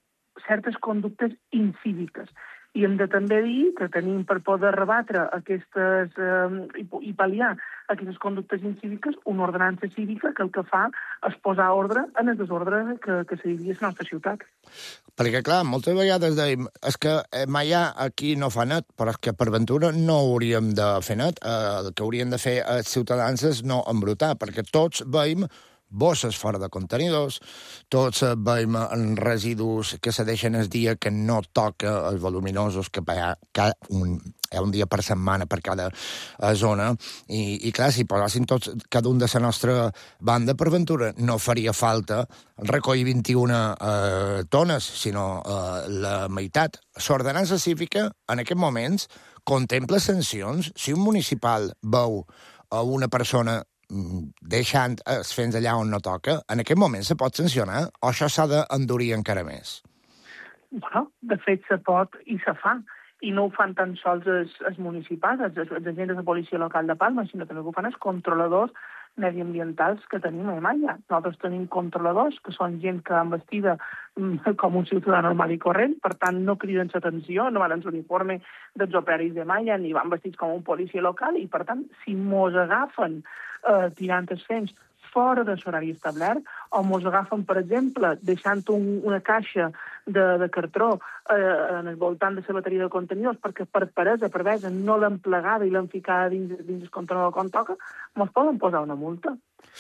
certes conductes incíviques. I hem de també dir que tenim per poder rebatre aquestes eh, i, i pal·liar aquestes conductes incíviques una ordenança cívica que el que fa és posar ordre en el desordre que, que se vivia a la nostra ciutat.
Perquè, clar, moltes vegades dèiem és que mai aquí no fa net, però és que per ventura no hauríem de fer net. Eh, el que haurien de fer els ciutadans és no embrutar, perquè tots veiem bosses fora de contenidors, tots veiem residus que se deixen el dia que no toca els voluminosos, que hi ha, un, hi ha un dia per setmana per cada zona, i, i clar, si posessin tots, cada un de la nostra banda, per ventura, no faria falta recollir vint-i-una eh, tones, sinó eh, la meitat. L'ordenança cívica, en aquests moments, contempla sancions. Si un municipal veu a una persona deixant els fents allà on no toca, en aquest moment se pot sancionar o això s'ha d'endurir encara més?
Bueno, de fet se pot i se fa. I no ho fan tan sols els, els municipals, els, els agents de policia local de Palma, sinó també ho fan els controladors mediambientals que tenim a Malla. Nosaltres tenim controladors, que són gent que van vestida com un ciutadà normal i corrent, per tant no criden l'atenció, no van en l'uniforme dels operaris de Malla, ni van vestits com un policia local, i per tant, si mos agafen eh, tirant els fents fora de l'horari establert, o mos agafen, per exemple, deixant un, una caixa de, de cartró eh, en el voltant de la bateria de contenidors perquè per peresa, per vesa, no l'han plegada i l'han ficada dins, dins el contenidor com toca, mos poden posar una multa.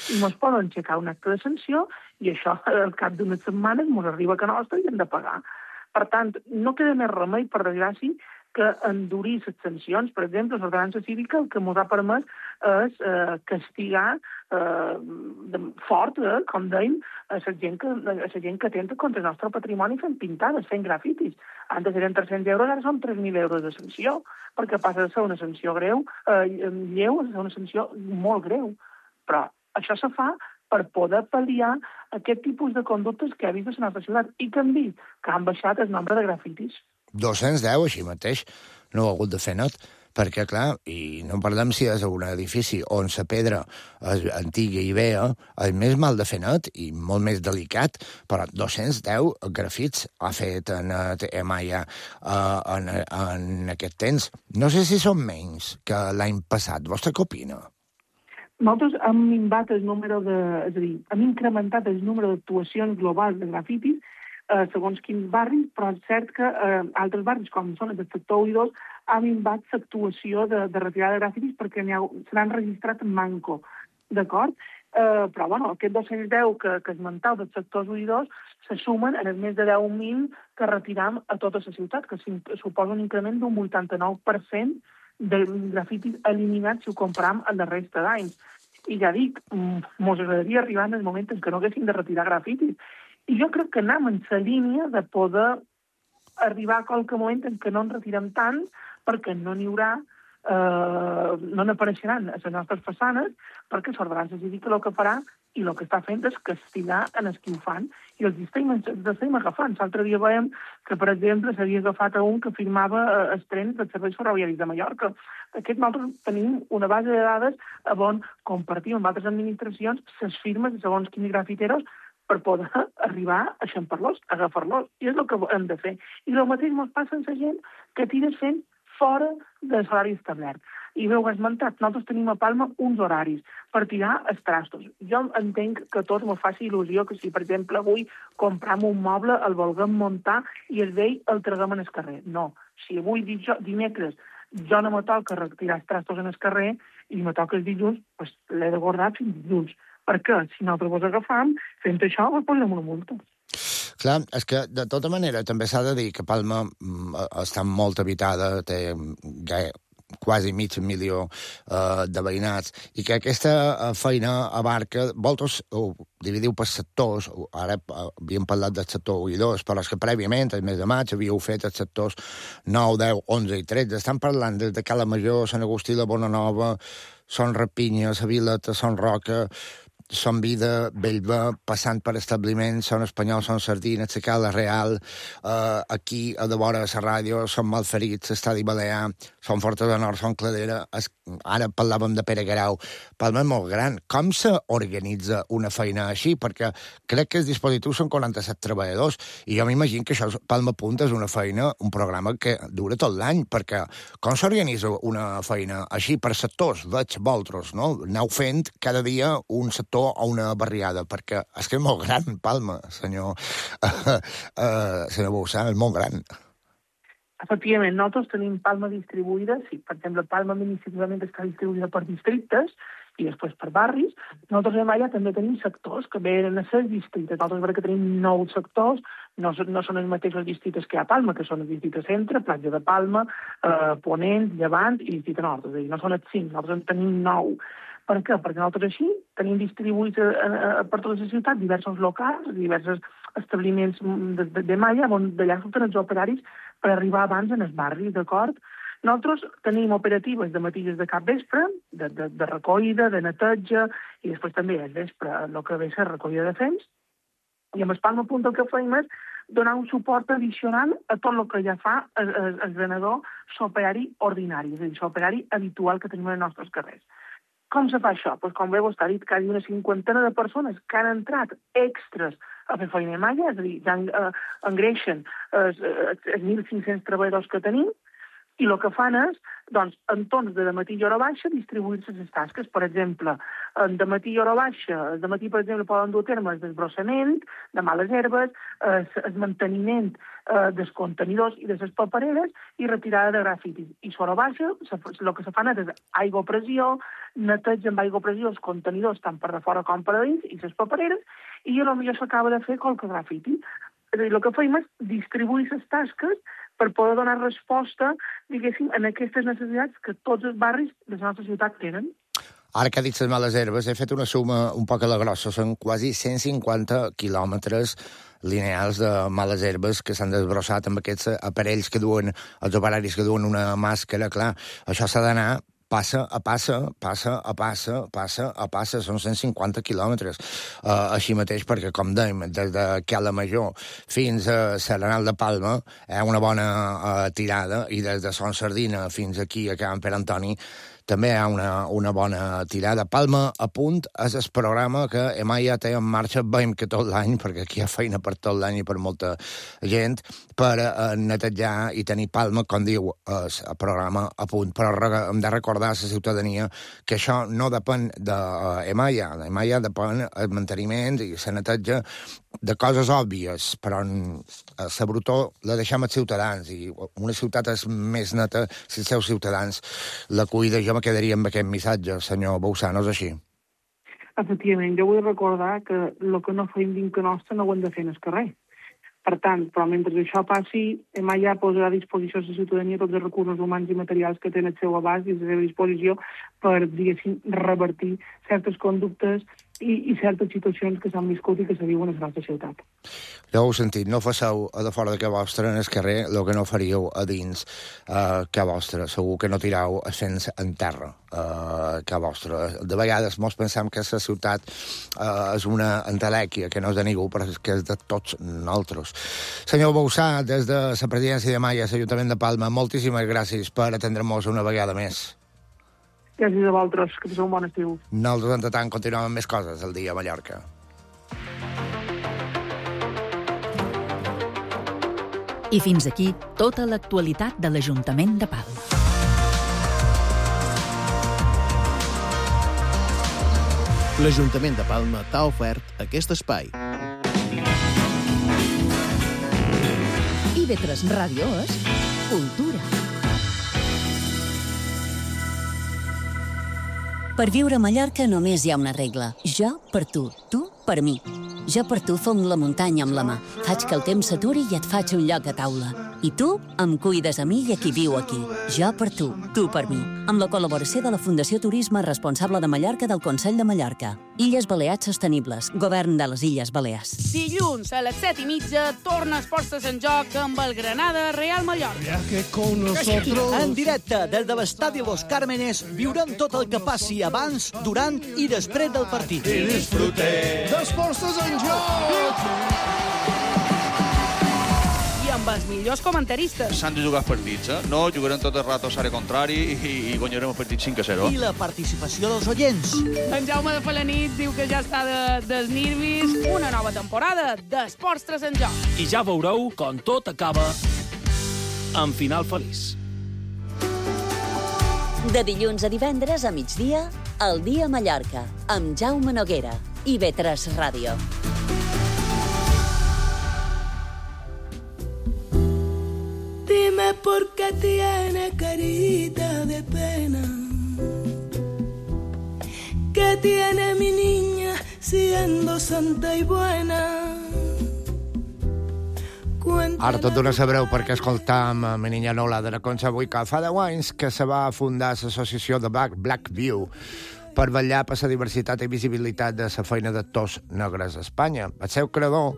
I mos poden aixecar un acte de sanció i això, al cap d'unes setmanes, mos arriba a casa nostra i hem de pagar. Per tant, no queda més remei, per desgràcia, que endurir les sancions. Per exemple, l'ordenança cívica el que ens ha permès és eh, castigar eh, de, fort, eh, com dèiem, a la gent, que, a la gent que atenta contra el nostre patrimoni fent pintades, fent grafitis. Antes eren tres-cents euros, ara són tres mil euros de sanció, perquè passa de ser una sanció greu, eh, lleu, a ser una sanció molt greu. Però això se fa per poder pal·liar aquest tipus de conductes que ha vist a la nostra ciutat i que han vist que han baixat el nombre de grafitis.
dos-cents deu, així mateix, no ho ha hagut de fer net, perquè, clar, i no parlem si és un edifici on la pedra és antiga i vea, és més mal de fer net i molt més delicat, però dos-cents deu grafits ha fet en Malla uh, en, en aquest temps. No sé si són menys que l'any passat. Vostè què opina?
Nosaltres hem minvat el número de... És a dir, hem incrementat el número d'actuacions globals de grafitis eh, segons quins barris, però és cert que eh, altres barris, com són els del sector u i dos, han minvat l'actuació de, de retirada de grafitis perquè ha, se n'han registrat en manco, d'acord? Eh, però, bueno, aquests dos-cents deu que, que esmentau dels sectors u i dos se sumen en els més de deu mil que retiram a tota la ciutat, que suposa un increment d'un vuitanta-nou per cent de grafitis eliminats si ho comparam amb la resta d'anys. I ja dic, mos agradaria arribar en el moment en què no haguéssim de retirar grafitis. I jo crec que anem en la línia de poder arribar a qualque moment en què no en retirem tant, perquè no n'hi haurà, eh, no n'apareixeran a les nostres façanes, perquè l'ordenança cívica el que farà i el que està fent és castigar en els que ho fan. I els estem, els estem agafant. L'altre dia veiem que, per exemple, s'havia agafat a un que firmava els trens dels serveis ferroviaris de Mallorca. Aquest nosaltres tenim una base de dades on compartim amb altres administracions les firmes de segons quins grafiteros per poder arribar a eixampar-los, a agafar-los. I és el que hem de fer. I el mateix ens passa amb la gent que tires fent fora de l'horari establert. I bé, ho has esmentat, nosaltres tenim a Palma uns horaris per tirar els trastos. Jo entenc que a tots m'ho faci il·lusió que si, per exemple, avui compram un moble, el vulguem muntar i el vell el traguem en el carrer. No. Si avui, dimecres, jo no me toca retirar els trastos en el carrer i me toca el dilluns, doncs l'he de guardar fins dilluns. Perquè si nosaltres vos agafam, fent això, vos posem una multa.
Clar, és que, de tota manera, també s'ha de dir que Palma està molt habitada, té ja quasi mig milió uh, de veïnats, i que aquesta feina abarca, vosaltres ho dividiu per sectors, ara havíem parlat del sector u i dos, però és que prèviament, el mes de maig, havíeu fet els sectors nou, deu, onze i tretze, estan parlant des de Cala Major, Sant Agustí, la Bonanova, Son Rapinya, la Vileta, Son Roca, Son Vida, Bellver, passant per establiments, Son Espanyol, Son Sardina, la Cala Real, eh, aquí, a de vora a la ràdio, Son Malferits, l'Estadi Balear, Son Forta de Nord, Son Cladera, es, ara parlàvem de Pere Guerau. Palma és molt gran. Com s'organitza una feina així? Perquè crec que els dispositius són quaranta-set treballadors, i jo m'imagino que això, Palma Punt, és una feina, un programa que dura tot l'any, perquè com s'organitza una feina així per sectors? Veig vosaltres, no? Aneu fent cada dia un sector a una barriada, perquè és que és molt gran, Palma, senyor, uh, uh, senyor Bouzá, és molt gran.
Efectivament, nosaltres tenim Palma distribuïda, sí, per exemple, Palma administrativament està distribuïda per districtes, i després per barris. Nosaltres a Malla també tenim sectors que venen a ser distrites. Nosaltres veure que tenim nou sectors, no, no són els mateixos distrites que hi ha a Palma, que són els distrites centre, Platja de Palma, eh, Ponent, Llevant i districte nord. És a dir, no són els cinc, nosaltres en tenim nou. Per què? Perquè nosaltres així tenim distribuïts a, a, a, per tota la ciutat diversos locals, diversos establiments de, de, de Malla, on d'allà surten els operaris per arribar abans en els barris, d'acord? Nosaltres tenim operatives de matí de cap vespre, de, de, de recollida, de neteja, i després també al vespre el que ve a ser recollida de fems. I amb el Palma Punt el que fem és donar un suport addicional a tot el que ja fa el, el, el venedor s'operari ordinari, és a dir, s'operari habitual que tenim als nostres carrers. Com se fa això? Pues com bé vostè ha dit, quasi una cinquantena de persones que han entrat extras a fer feina a Malla, és a dir, ja eh, engreixen els, els mil cinc-cents treballadors que tenim, i el que fan és, doncs, en torns de dematí i hora baixa, distribuir-se les tasques. Per exemple, en dematí i hora baixa, el dematí, per exemple, poden dur a terme el desbrossament de males herbes, el, el manteniment eh, dels contenidors i de les papereres i retirada de grafitis. I a hora baixa, el que se fan és aigua a pressió, neteja amb aigua a pressió els contenidors tant per de fora com per de dins i les papereres, i potser s'acaba de fer qualque grafiti. És a dir, el que fem és distribuir les tasques per poder donar resposta, diguéssim, en aquestes necessitats que tots els barris de la nostra ciutat tenen.
Ara que ha dit les males herbes, he fet una suma un poc a la grossa. Són quasi cent cinquanta quilòmetres lineals de males herbes que s'han desbrossat amb aquests aparells que duen, els operaris que duen una màscara. Clar, això s'ha d'anar passa a passa, passa a passa, passa a passa, són cent cinquanta quilòmetres. Uh, així mateix, perquè, com dèiem, des de Cala Major fins a Serenal de Palma hi ha una bona uh, tirada, i des de Son Sardina fins aquí a Can Pere Antoni també hi ha una, una bona tirada. Palma a Punt és el programa que Malla té en marxa, veiem que tot l'any, perquè aquí hi ha feina per tot l'any i per molta gent, per uh, netejar i tenir Palma, com diu el programa a punt. Però hem de recordar a la ciutadania que això no depèn d'Emalla. Uh, Emalla depèn el manteniment i la neteja de coses òbvies, però la brutó la deixem als ciutadans, i una ciutat és més neta si els seus ciutadans la cuida. Jo me quedaria amb aquest missatge, senyor Bauzá, no és així?
Efectivament, jo vull recordar que el que no fem dins que nostre no ho hem de fer en el carrer. Per tant, però mentre això passi, Malla posarà a disposició de la ciutadania tots els recursos humans i materials que tenen al seu abast i a la seva disposició per, diguéssim, revertir certes conductes i, i certes situacions que s'han viscut i que se viuen a la nostra ciutat.
Ja ho heu sentit, no faceu a de fora de casa vostra en el carrer el que no faríeu a dins uh, casa vostra. Segur que no tirau ascens en terra uh, casa vostra. De vegades mos pensem que la ciutat uh, és una entelèquia, que no és de ningú, però és que és de tots nosaltres. Senyor Bauzá, des de la presidència de Malla, l'Ajuntament de Palma, moltíssimes gràcies per atendre-nos una vegada més.
Gràcies a vosaltres, que passeu un bon estiu.
Nosaltres, entre tant, continuem amb més coses el dia a Mallorca.
I fins aquí tota l'actualitat de l'Ajuntament de Palma.
L'Ajuntament de Palma t'ha ofert aquest espai.
I ve tres Ràdio és cultura.
Per viure a Mallorca només hi ha una regla. Jo per tu, tu per mi. Jo per tu fong la muntanya amb la mà. Faig que el temps s'aturi i et faig un lloc a taula. I tu em cuides a mi i a qui viu aquí. Jo per tu, tu per mi. Amb la col·laboració de la Fundació Turisme Responsable de Mallorca del Consell de Mallorca. Illes Balears Sostenibles. Govern de les Illes Balears.
Dilluns a les set i mitja torna Esports en Joc amb el Granada Real Mallorca.
Con nosotros. En directe des de l'Estadi Los Cármenes viurem tot el que passi abans, durant i després del partit.
I disfrutem
d'Esports en Joc!
I amb els millors comentaristes.
S'han de jugar els partits, eh? No jugarem tot el rato a l'àrea contrari i, i guanyarem el partit cinc a zero.
I la participació dels oients.
En Jaume de Falanit diu que ja està de, dels nervis. Una nova temporada d'Esports en Joc.
I ja veureu com tot acaba en final feliç.
De dilluns a divendres a migdia, El dia a Mallorca, amb Jaume Noguera i ve tres Ràdio.
Dime por qué tiene carita de pena, tiene mi niña siendo santa y buena?
Ara tot d'una sabreu perquè escoltam a mi niña Nola de la Concha avui, que fa deu anys que se va fundar l'associació de Black, Black View per vetllar per la diversitat i visibilitat de la feina d'actors negres a Espanya. El seu creador,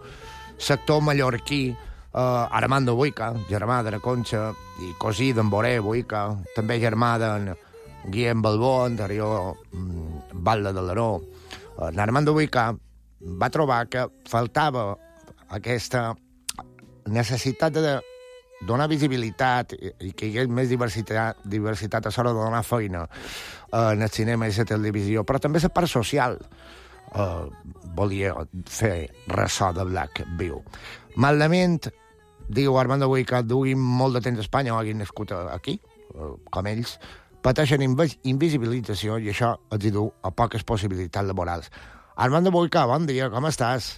l'actor mallorquí eh, Armando Buica, germà de la Concha i cosí d'en Boré Buica, també germà d'en Guillem Balbó, anterior mm, Batlle de l'Aró. Eh, Armando Buica va trobar que faltava aquesta necessitat de donar visibilitat i que hi hagués més diversitat, diversitat a l'hora de donar feina en el cinema i la televisió, però també la part social eh, volia fer ressò de Black View. Malament, diu Armando Buy, que duguin molt de temps a Espanya o hagin nascut aquí, eh, com ells, pateixen invis invisibilització i això els hi du a poques possibilitats laborals. Armando Buica, bon dia, com estàs?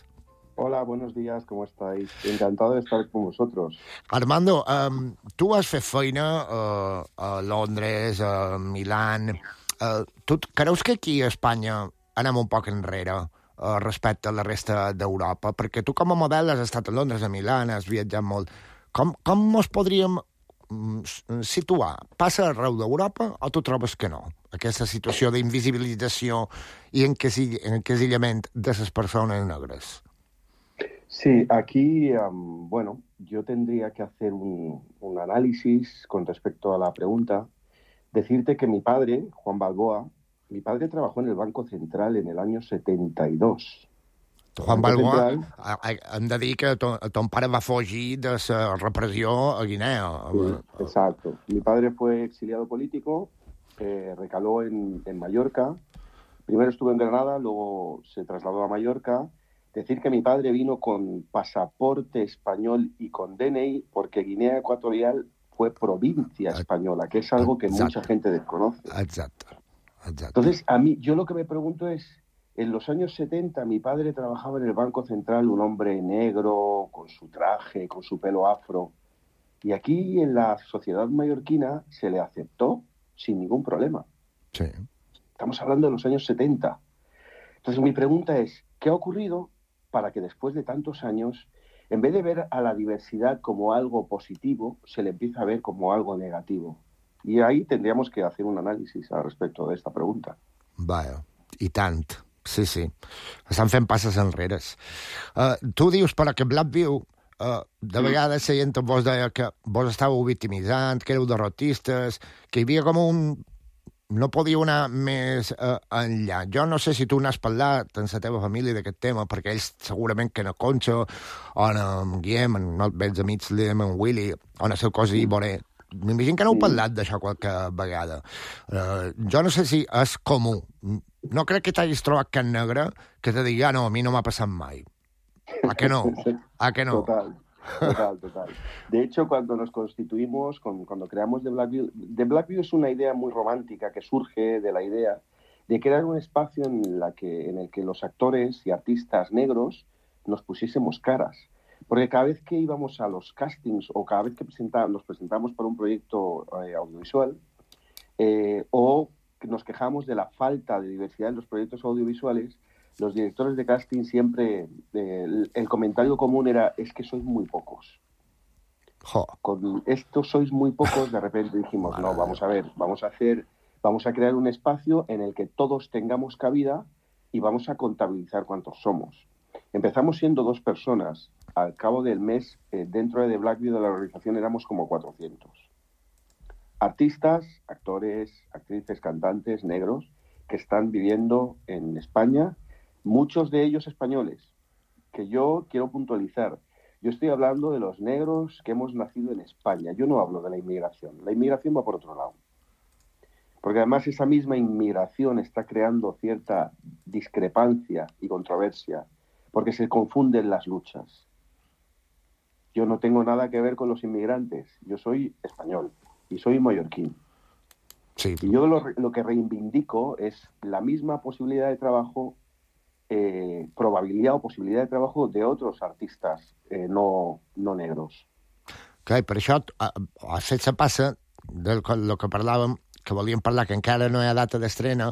Hola, buenos días, ¿cómo estáis? Encantado de estar con vosotros.
Armando, um, tu has fet feina uh, a Londres, a Milán. Uh, tu creus que aquí a Espanya anem un poc enrere uh, respecte a la resta d'Europa? Perquè tu com a model has estat a Londres, a Milán, has viatjat molt. Com, com ens podríem um, situar? Passa arreu d'Europa o tu trobes que no? Aquesta situació d'invisibilització i encasillament de les persones negres.
Sí, aquí, um, bueno, yo tendría que hacer un, un análisis con respecto a la pregunta. Decirte que mi padre, Juan Balboa, mi padre trabajó en el Banco Central en el año setenta y dos.
Juan Balboa, Central... hem de dir que ton, ton pare va fugir de la repressió a Guinea.
Sí, exacto. Mi padre fue exiliado político, eh, recaló en, en Mallorca. Primero estuvo en Granada, luego se trasladó a Mallorca. Decir que mi padre vino con pasaporte español y con D N I porque Guinea Ecuatorial fue provincia española, que es algo que Exacto. mucha gente desconoce.
Exacto. Exacto.
Entonces, a mí, yo lo que me pregunto es, en los años setenta mi padre trabajaba en el Banco Central, un hombre negro, con su traje, con su pelo afro, y aquí en la sociedad mallorquina se le aceptó sin ningún problema.
Sí.
Estamos hablando de los años setenta. Entonces, mi pregunta es, ¿qué ha ocurrido para que después de tantos años, en vez de ver a la diversidad como algo positivo, se le empieza a ver como algo negativo? Y ahí tendríamos que hacer un análisis al respecto de esta pregunta.
Vaja, i tant. Sí, sí. Estan fent passes enrere. Uh, tu dius, però, que Black View, uh, de vegades la gent vos deia que vos estàveu victimitzant, que éreu derrotistes, que hi havia com un... no podíeu anar més uh, enllà. Jo no sé si tu n'has parlat amb la teva família d'aquest tema, perquè ells segurament que en Concha, o en Guillem, en els vells amics Liam, en Willy, o en el seu cosí Boré, m'imagino que n'heu parlat d'això qualque vegada. Uh, jo no sé si és comú. No crec que t'hagis trobat cap negre que te digui, ah, no, a mi no m'ha passat mai. A que no? A que no?
Total. Total, total. De hecho, cuando nos constituimos, cuando creamos The Black View, The Black View es una idea muy romántica que surge de la idea de crear un espacio en, la que, en el que los actores y artistas negros nos pusiésemos caras. Porque cada vez que íbamos a los castings o cada vez que presenta, nos presentamos para un proyecto eh, audiovisual eh, o nos quejamos de la falta de diversidad en los proyectos audiovisuales, los directores de casting siempre, eh, el, el comentario común era, es que sois muy pocos.
Jo.
Con esto sois muy pocos, de repente dijimos, no, vamos a ver, vamos a hacer, vamos a crear un espacio en el que todos tengamos cabida y vamos a contabilizar cuántos somos. Empezamos siendo dos personas, al cabo del mes, eh, dentro de The Black View de la organización éramos como cuatrocientos. Artistas, actores, actrices, cantantes, negros, que están viviendo en España, muchos de ellos españoles, que yo quiero puntualizar. Yo estoy hablando de los negros que hemos nacido en España. Yo no hablo de la inmigración. La inmigración va por otro lado. Porque además esa misma inmigración está creando cierta discrepancia y controversia, porque se confunden las luchas. Yo no tengo nada que ver con los inmigrantes. Yo soy español y soy mallorquín.
Sí.
Y yo lo, lo que reivindico es la misma posibilidad de trabajo, eh, probabilidad o posibilidad de trabajo de otros artistas eh, no, no negros.
Okay, per això, a fet se passa del que, que parlàvem, que volíem parlar, que encara no hi ha data d'estrena,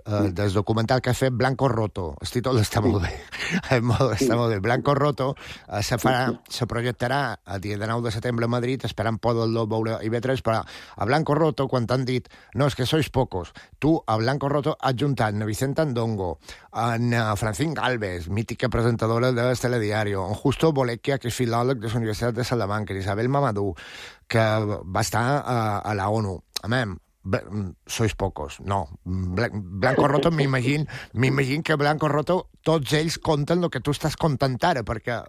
Uh, del documental que ha fet Blanco Roto. El títol està molt bé. molt, està molt bé. Blanco Roto uh, se, farà, se projectarà el dia de nou de setembre a Madrid, esperant poder-lo veure a I V tres, però a Blanco Roto, quan t'han dit no, és que sois pocos, tu a Blanco Roto has juntat a Vicente Andongo, en uh, Francín Galvez, mítica presentadora del Telediario, en Justo Bolecchia, que és filòleg de la Universitat de Salamanca, Isabel Mamadou, que va estar uh, a la ONU. Amém, sois pocos. No, Blanco Roto m'imagino m'imagino que Blanco Roto tots ells conten el que tu estàs contant ara, perquè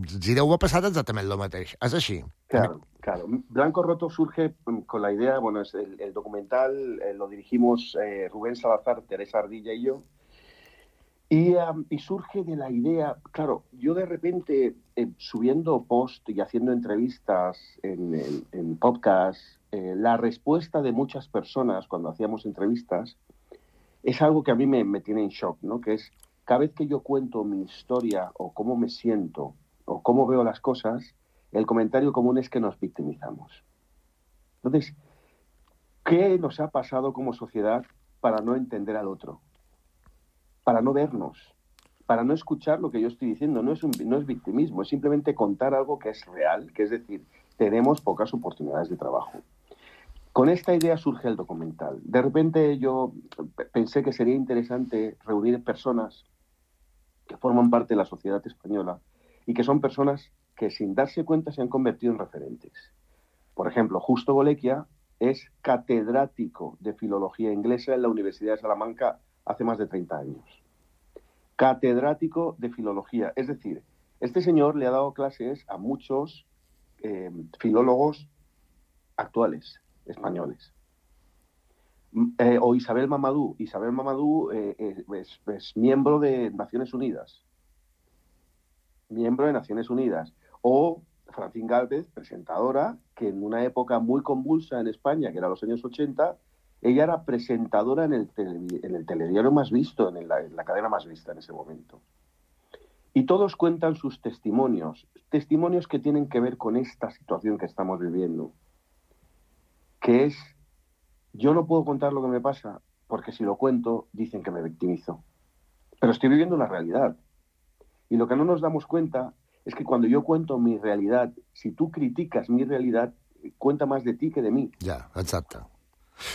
si deu haver passat exactament el mateix. És així.
Claro, claro. Blanco Roto surge con la idea, bueno, es el, el documental eh, lo dirigimos eh, Rubén Salazar, Teresa Ardilla y yo, y, um, y surge de la idea, claro, yo de repente eh, subiendo post y haciendo entrevistas en, en, en podcast, Eh, la respuesta de muchas personas cuando hacíamos entrevistas es algo que a mí me, me tiene en shock, ¿no? Que es, cada vez que yo cuento mi historia o cómo me siento o cómo veo las cosas, el comentario común es que nos victimizamos. Entonces, ¿qué nos ha pasado como sociedad para no entender al otro? Para no vernos, para no escuchar lo que yo estoy diciendo. No es, un, no es victimismo, es simplemente contar algo que es real, que es decir, tenemos pocas oportunidades de trabajo. Con esta idea surge el documental. De repente yo pensé que sería interesante reunir personas que forman parte de la sociedad española y que son personas que sin darse cuenta se han convertido en referentes. Por ejemplo, Justo Bolecchia es catedrático de filología inglesa en la Universidad de Salamanca hace más de treinta años. Catedrático de filología. Es decir, este señor le ha dado clases a muchos eh, filólogos actuales, españoles. Eh, o Isabel Mamadou. Isabel Mamadou eh, eh, es, es miembro de Naciones Unidas. Miembro de Naciones Unidas. O Francín Galvez, presentadora, que en una época muy convulsa en España, que era los años ochenta, ella era presentadora en el, tele, en el telediario más visto, en la, en la cadena más vista en ese momento. Y todos cuentan sus testimonios, testimonios que tienen que ver con esta situación que estamos viviendo, que es, yo no puedo contar lo que me pasa, porque si lo cuento dicen que me victimizo. Pero estoy viviendo una realidad. Y lo que no nos damos cuenta es que cuando yo cuento mi realidad, si tu criticas mi realidad, cuenta más de ti que de mi.
Ja, exacte.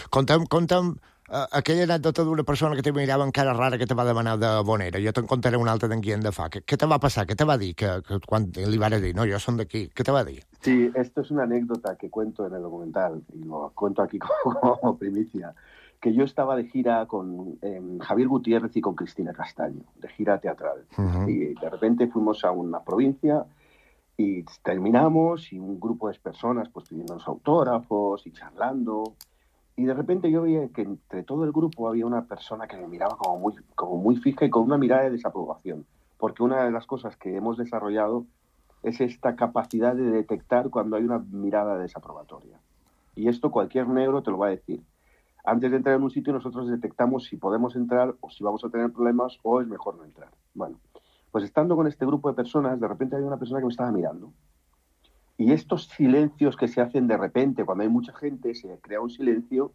Conta'm, conta'm uh, aquella anècdota d'una persona que te mirava amb cara rara que te va demanar de Bonera. Jo te'n contaré una altra d'en Guillem de Fa. Què, què te va passar? Què te va dir? Que, que quan li vas dir, no, jo som d'aquí. Què te va dir?
Sí, esto es una anécdota que cuento en el documental, y lo cuento aquí como, como primicia, que yo estaba de gira con eh, Javier Gutiérrez y con Cristina Castaño, de gira teatral. Uh-huh. Y de repente fuimos a una provincia y terminamos, y un grupo de personas pues pidiéndonos autógrafos y charlando. Y de repente yo veía que entre todo el grupo había una persona que me miraba como muy, como muy fija y con una mirada de desaprobación. Porque una de las cosas que hemos desarrollado es esta capacidad de detectar cuando hay una mirada desaprobatoria. Y esto cualquier negro te lo va a decir. Antes de entrar en un sitio nosotros detectamos si podemos entrar o si vamos a tener problemas o es mejor no entrar. Bueno, pues estando con este grupo de personas, de repente había una persona que me estaba mirando. Y estos silencios que se hacen de repente, cuando hay mucha gente, se crea un silencio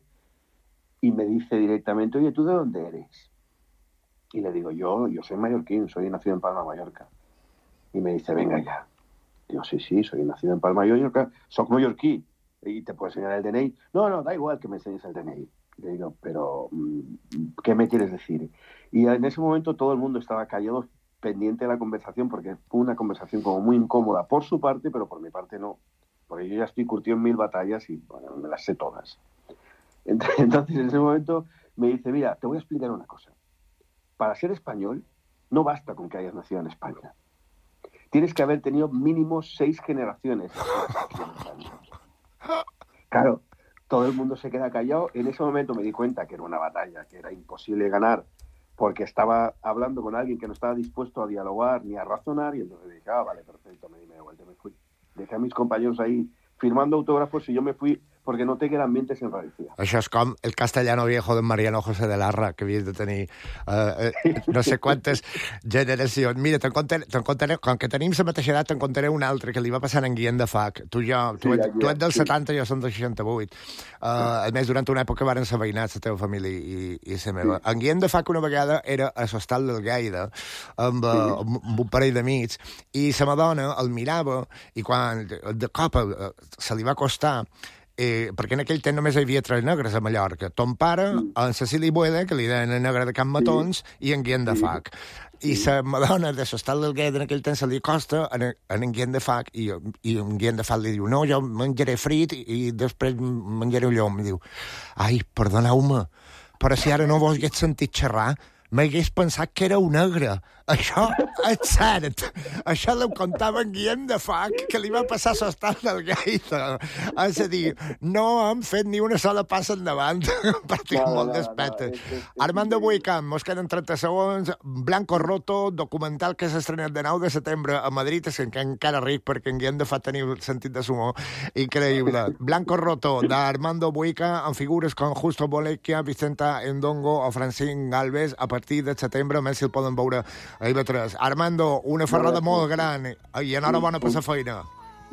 y me dice directamente, oye, ¿tú de dónde eres? Y le digo, yo, yo soy mallorquín, soy nacido en Palma, Mallorca. Y me dice, venga ya. Digo, sí, sí, soy nacido en Palma, Mallorca, soy mallorquí. Y te puedo enseñar el D N I. No, no, da igual que me enseñes el D N I. Le digo, pero, ¿qué me quieres decir? Y en ese momento todo el mundo estaba callado, pendiente de la conversación, porque fue una conversación como muy incómoda por su parte, pero por mi parte no. Porque yo ya estoy curtido en mil batallas y bueno, me las sé todas. Entonces, en ese momento me dice, mira, te voy a explicar una cosa. Para ser español, no basta con que hayas nacido en España. Tienes que haber tenido mínimo seis generaciones aquí en España. Claro, todo el mundo se queda callado. En ese momento me di cuenta que era una batalla, que era imposible ganar, porque estaba hablando con alguien que no estaba dispuesto a dialogar ni a razonar, y entonces dije, ah, vale, perfecto, me di media vuelta y me fui. Dejé a mis compañeros ahí firmando autógrafos y yo me fui, porque noté que el ambiente se enrarecía.
Això és com el castellano viejo de Mariano José de Larra, que havies de tenir uh, uh, no sé quantes generacions. Mira, te'n contaré, te'n contaré, com que tenim la mateixa edat, te'n contaré un altre que li va passar en Guillem de Fac. Tu, jo, tu,
Sí,
ets, tu ets del
sí.
setanta, jo som del seixanta-vuit. Uh, a més, durant una època varen ser veïnats la teva família i, i la meva. En Guillem de Fac una vegada era a l'hostal del Gaida amb, uh, amb un parell d'amics i la Madonna el mirava i quan de cop uh, se li va acostar Eh, perquè en aquell temps només hi havia tres negres a Mallorca. Ton pare, mm. en Cecili Bueda, que li deien el negre de Can Matons, sí. i en Guillem de Fac. I la Madonna de l'hostal del Gueda en aquell temps se li acosta en, en, en Guillem de Fac i, i en Guillem de Fac li diu no, jo menjaré frit i, i després menjaré un llom. I diu, ai, perdoneu-me, però si ara no vos hagués sentit xerrar, m'hagués pensat que era un negre. Això és cert. Això l'ho contava en Guillem de Fac, que li va passar a l'hostal del Gaita. És a dir, no hem fet ni una sola passa endavant. Partim no, molt no, despetes. No, no, Armando Buicam, mos queden trenta segons. Blanco Roto, documental que s'ha estrenat de nou de setembre a Madrid, és que encara ric, perquè en Guillem de Fac teniu sentit de sumor increïble. Blanco Roto, d'Armando Buica, amb figures com Justo Bolecchia, Vicenta Endongo o Francín Galvez, a partir de setembre, a més si el poden veure a I V tres. Armando, una ferrada molt gran i enhorabona per la feina.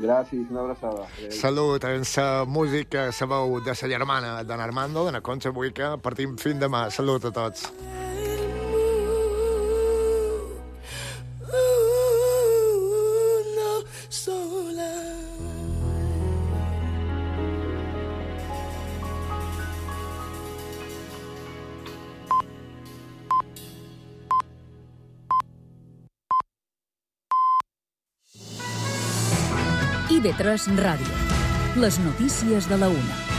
Gràcies, una abraçada.
Salut, en la música, la veu de la germana d'en Armando, de la Concha Buica, partim fin demà. Salut a tots.
I V tres Ràdio. Les notícies de la una.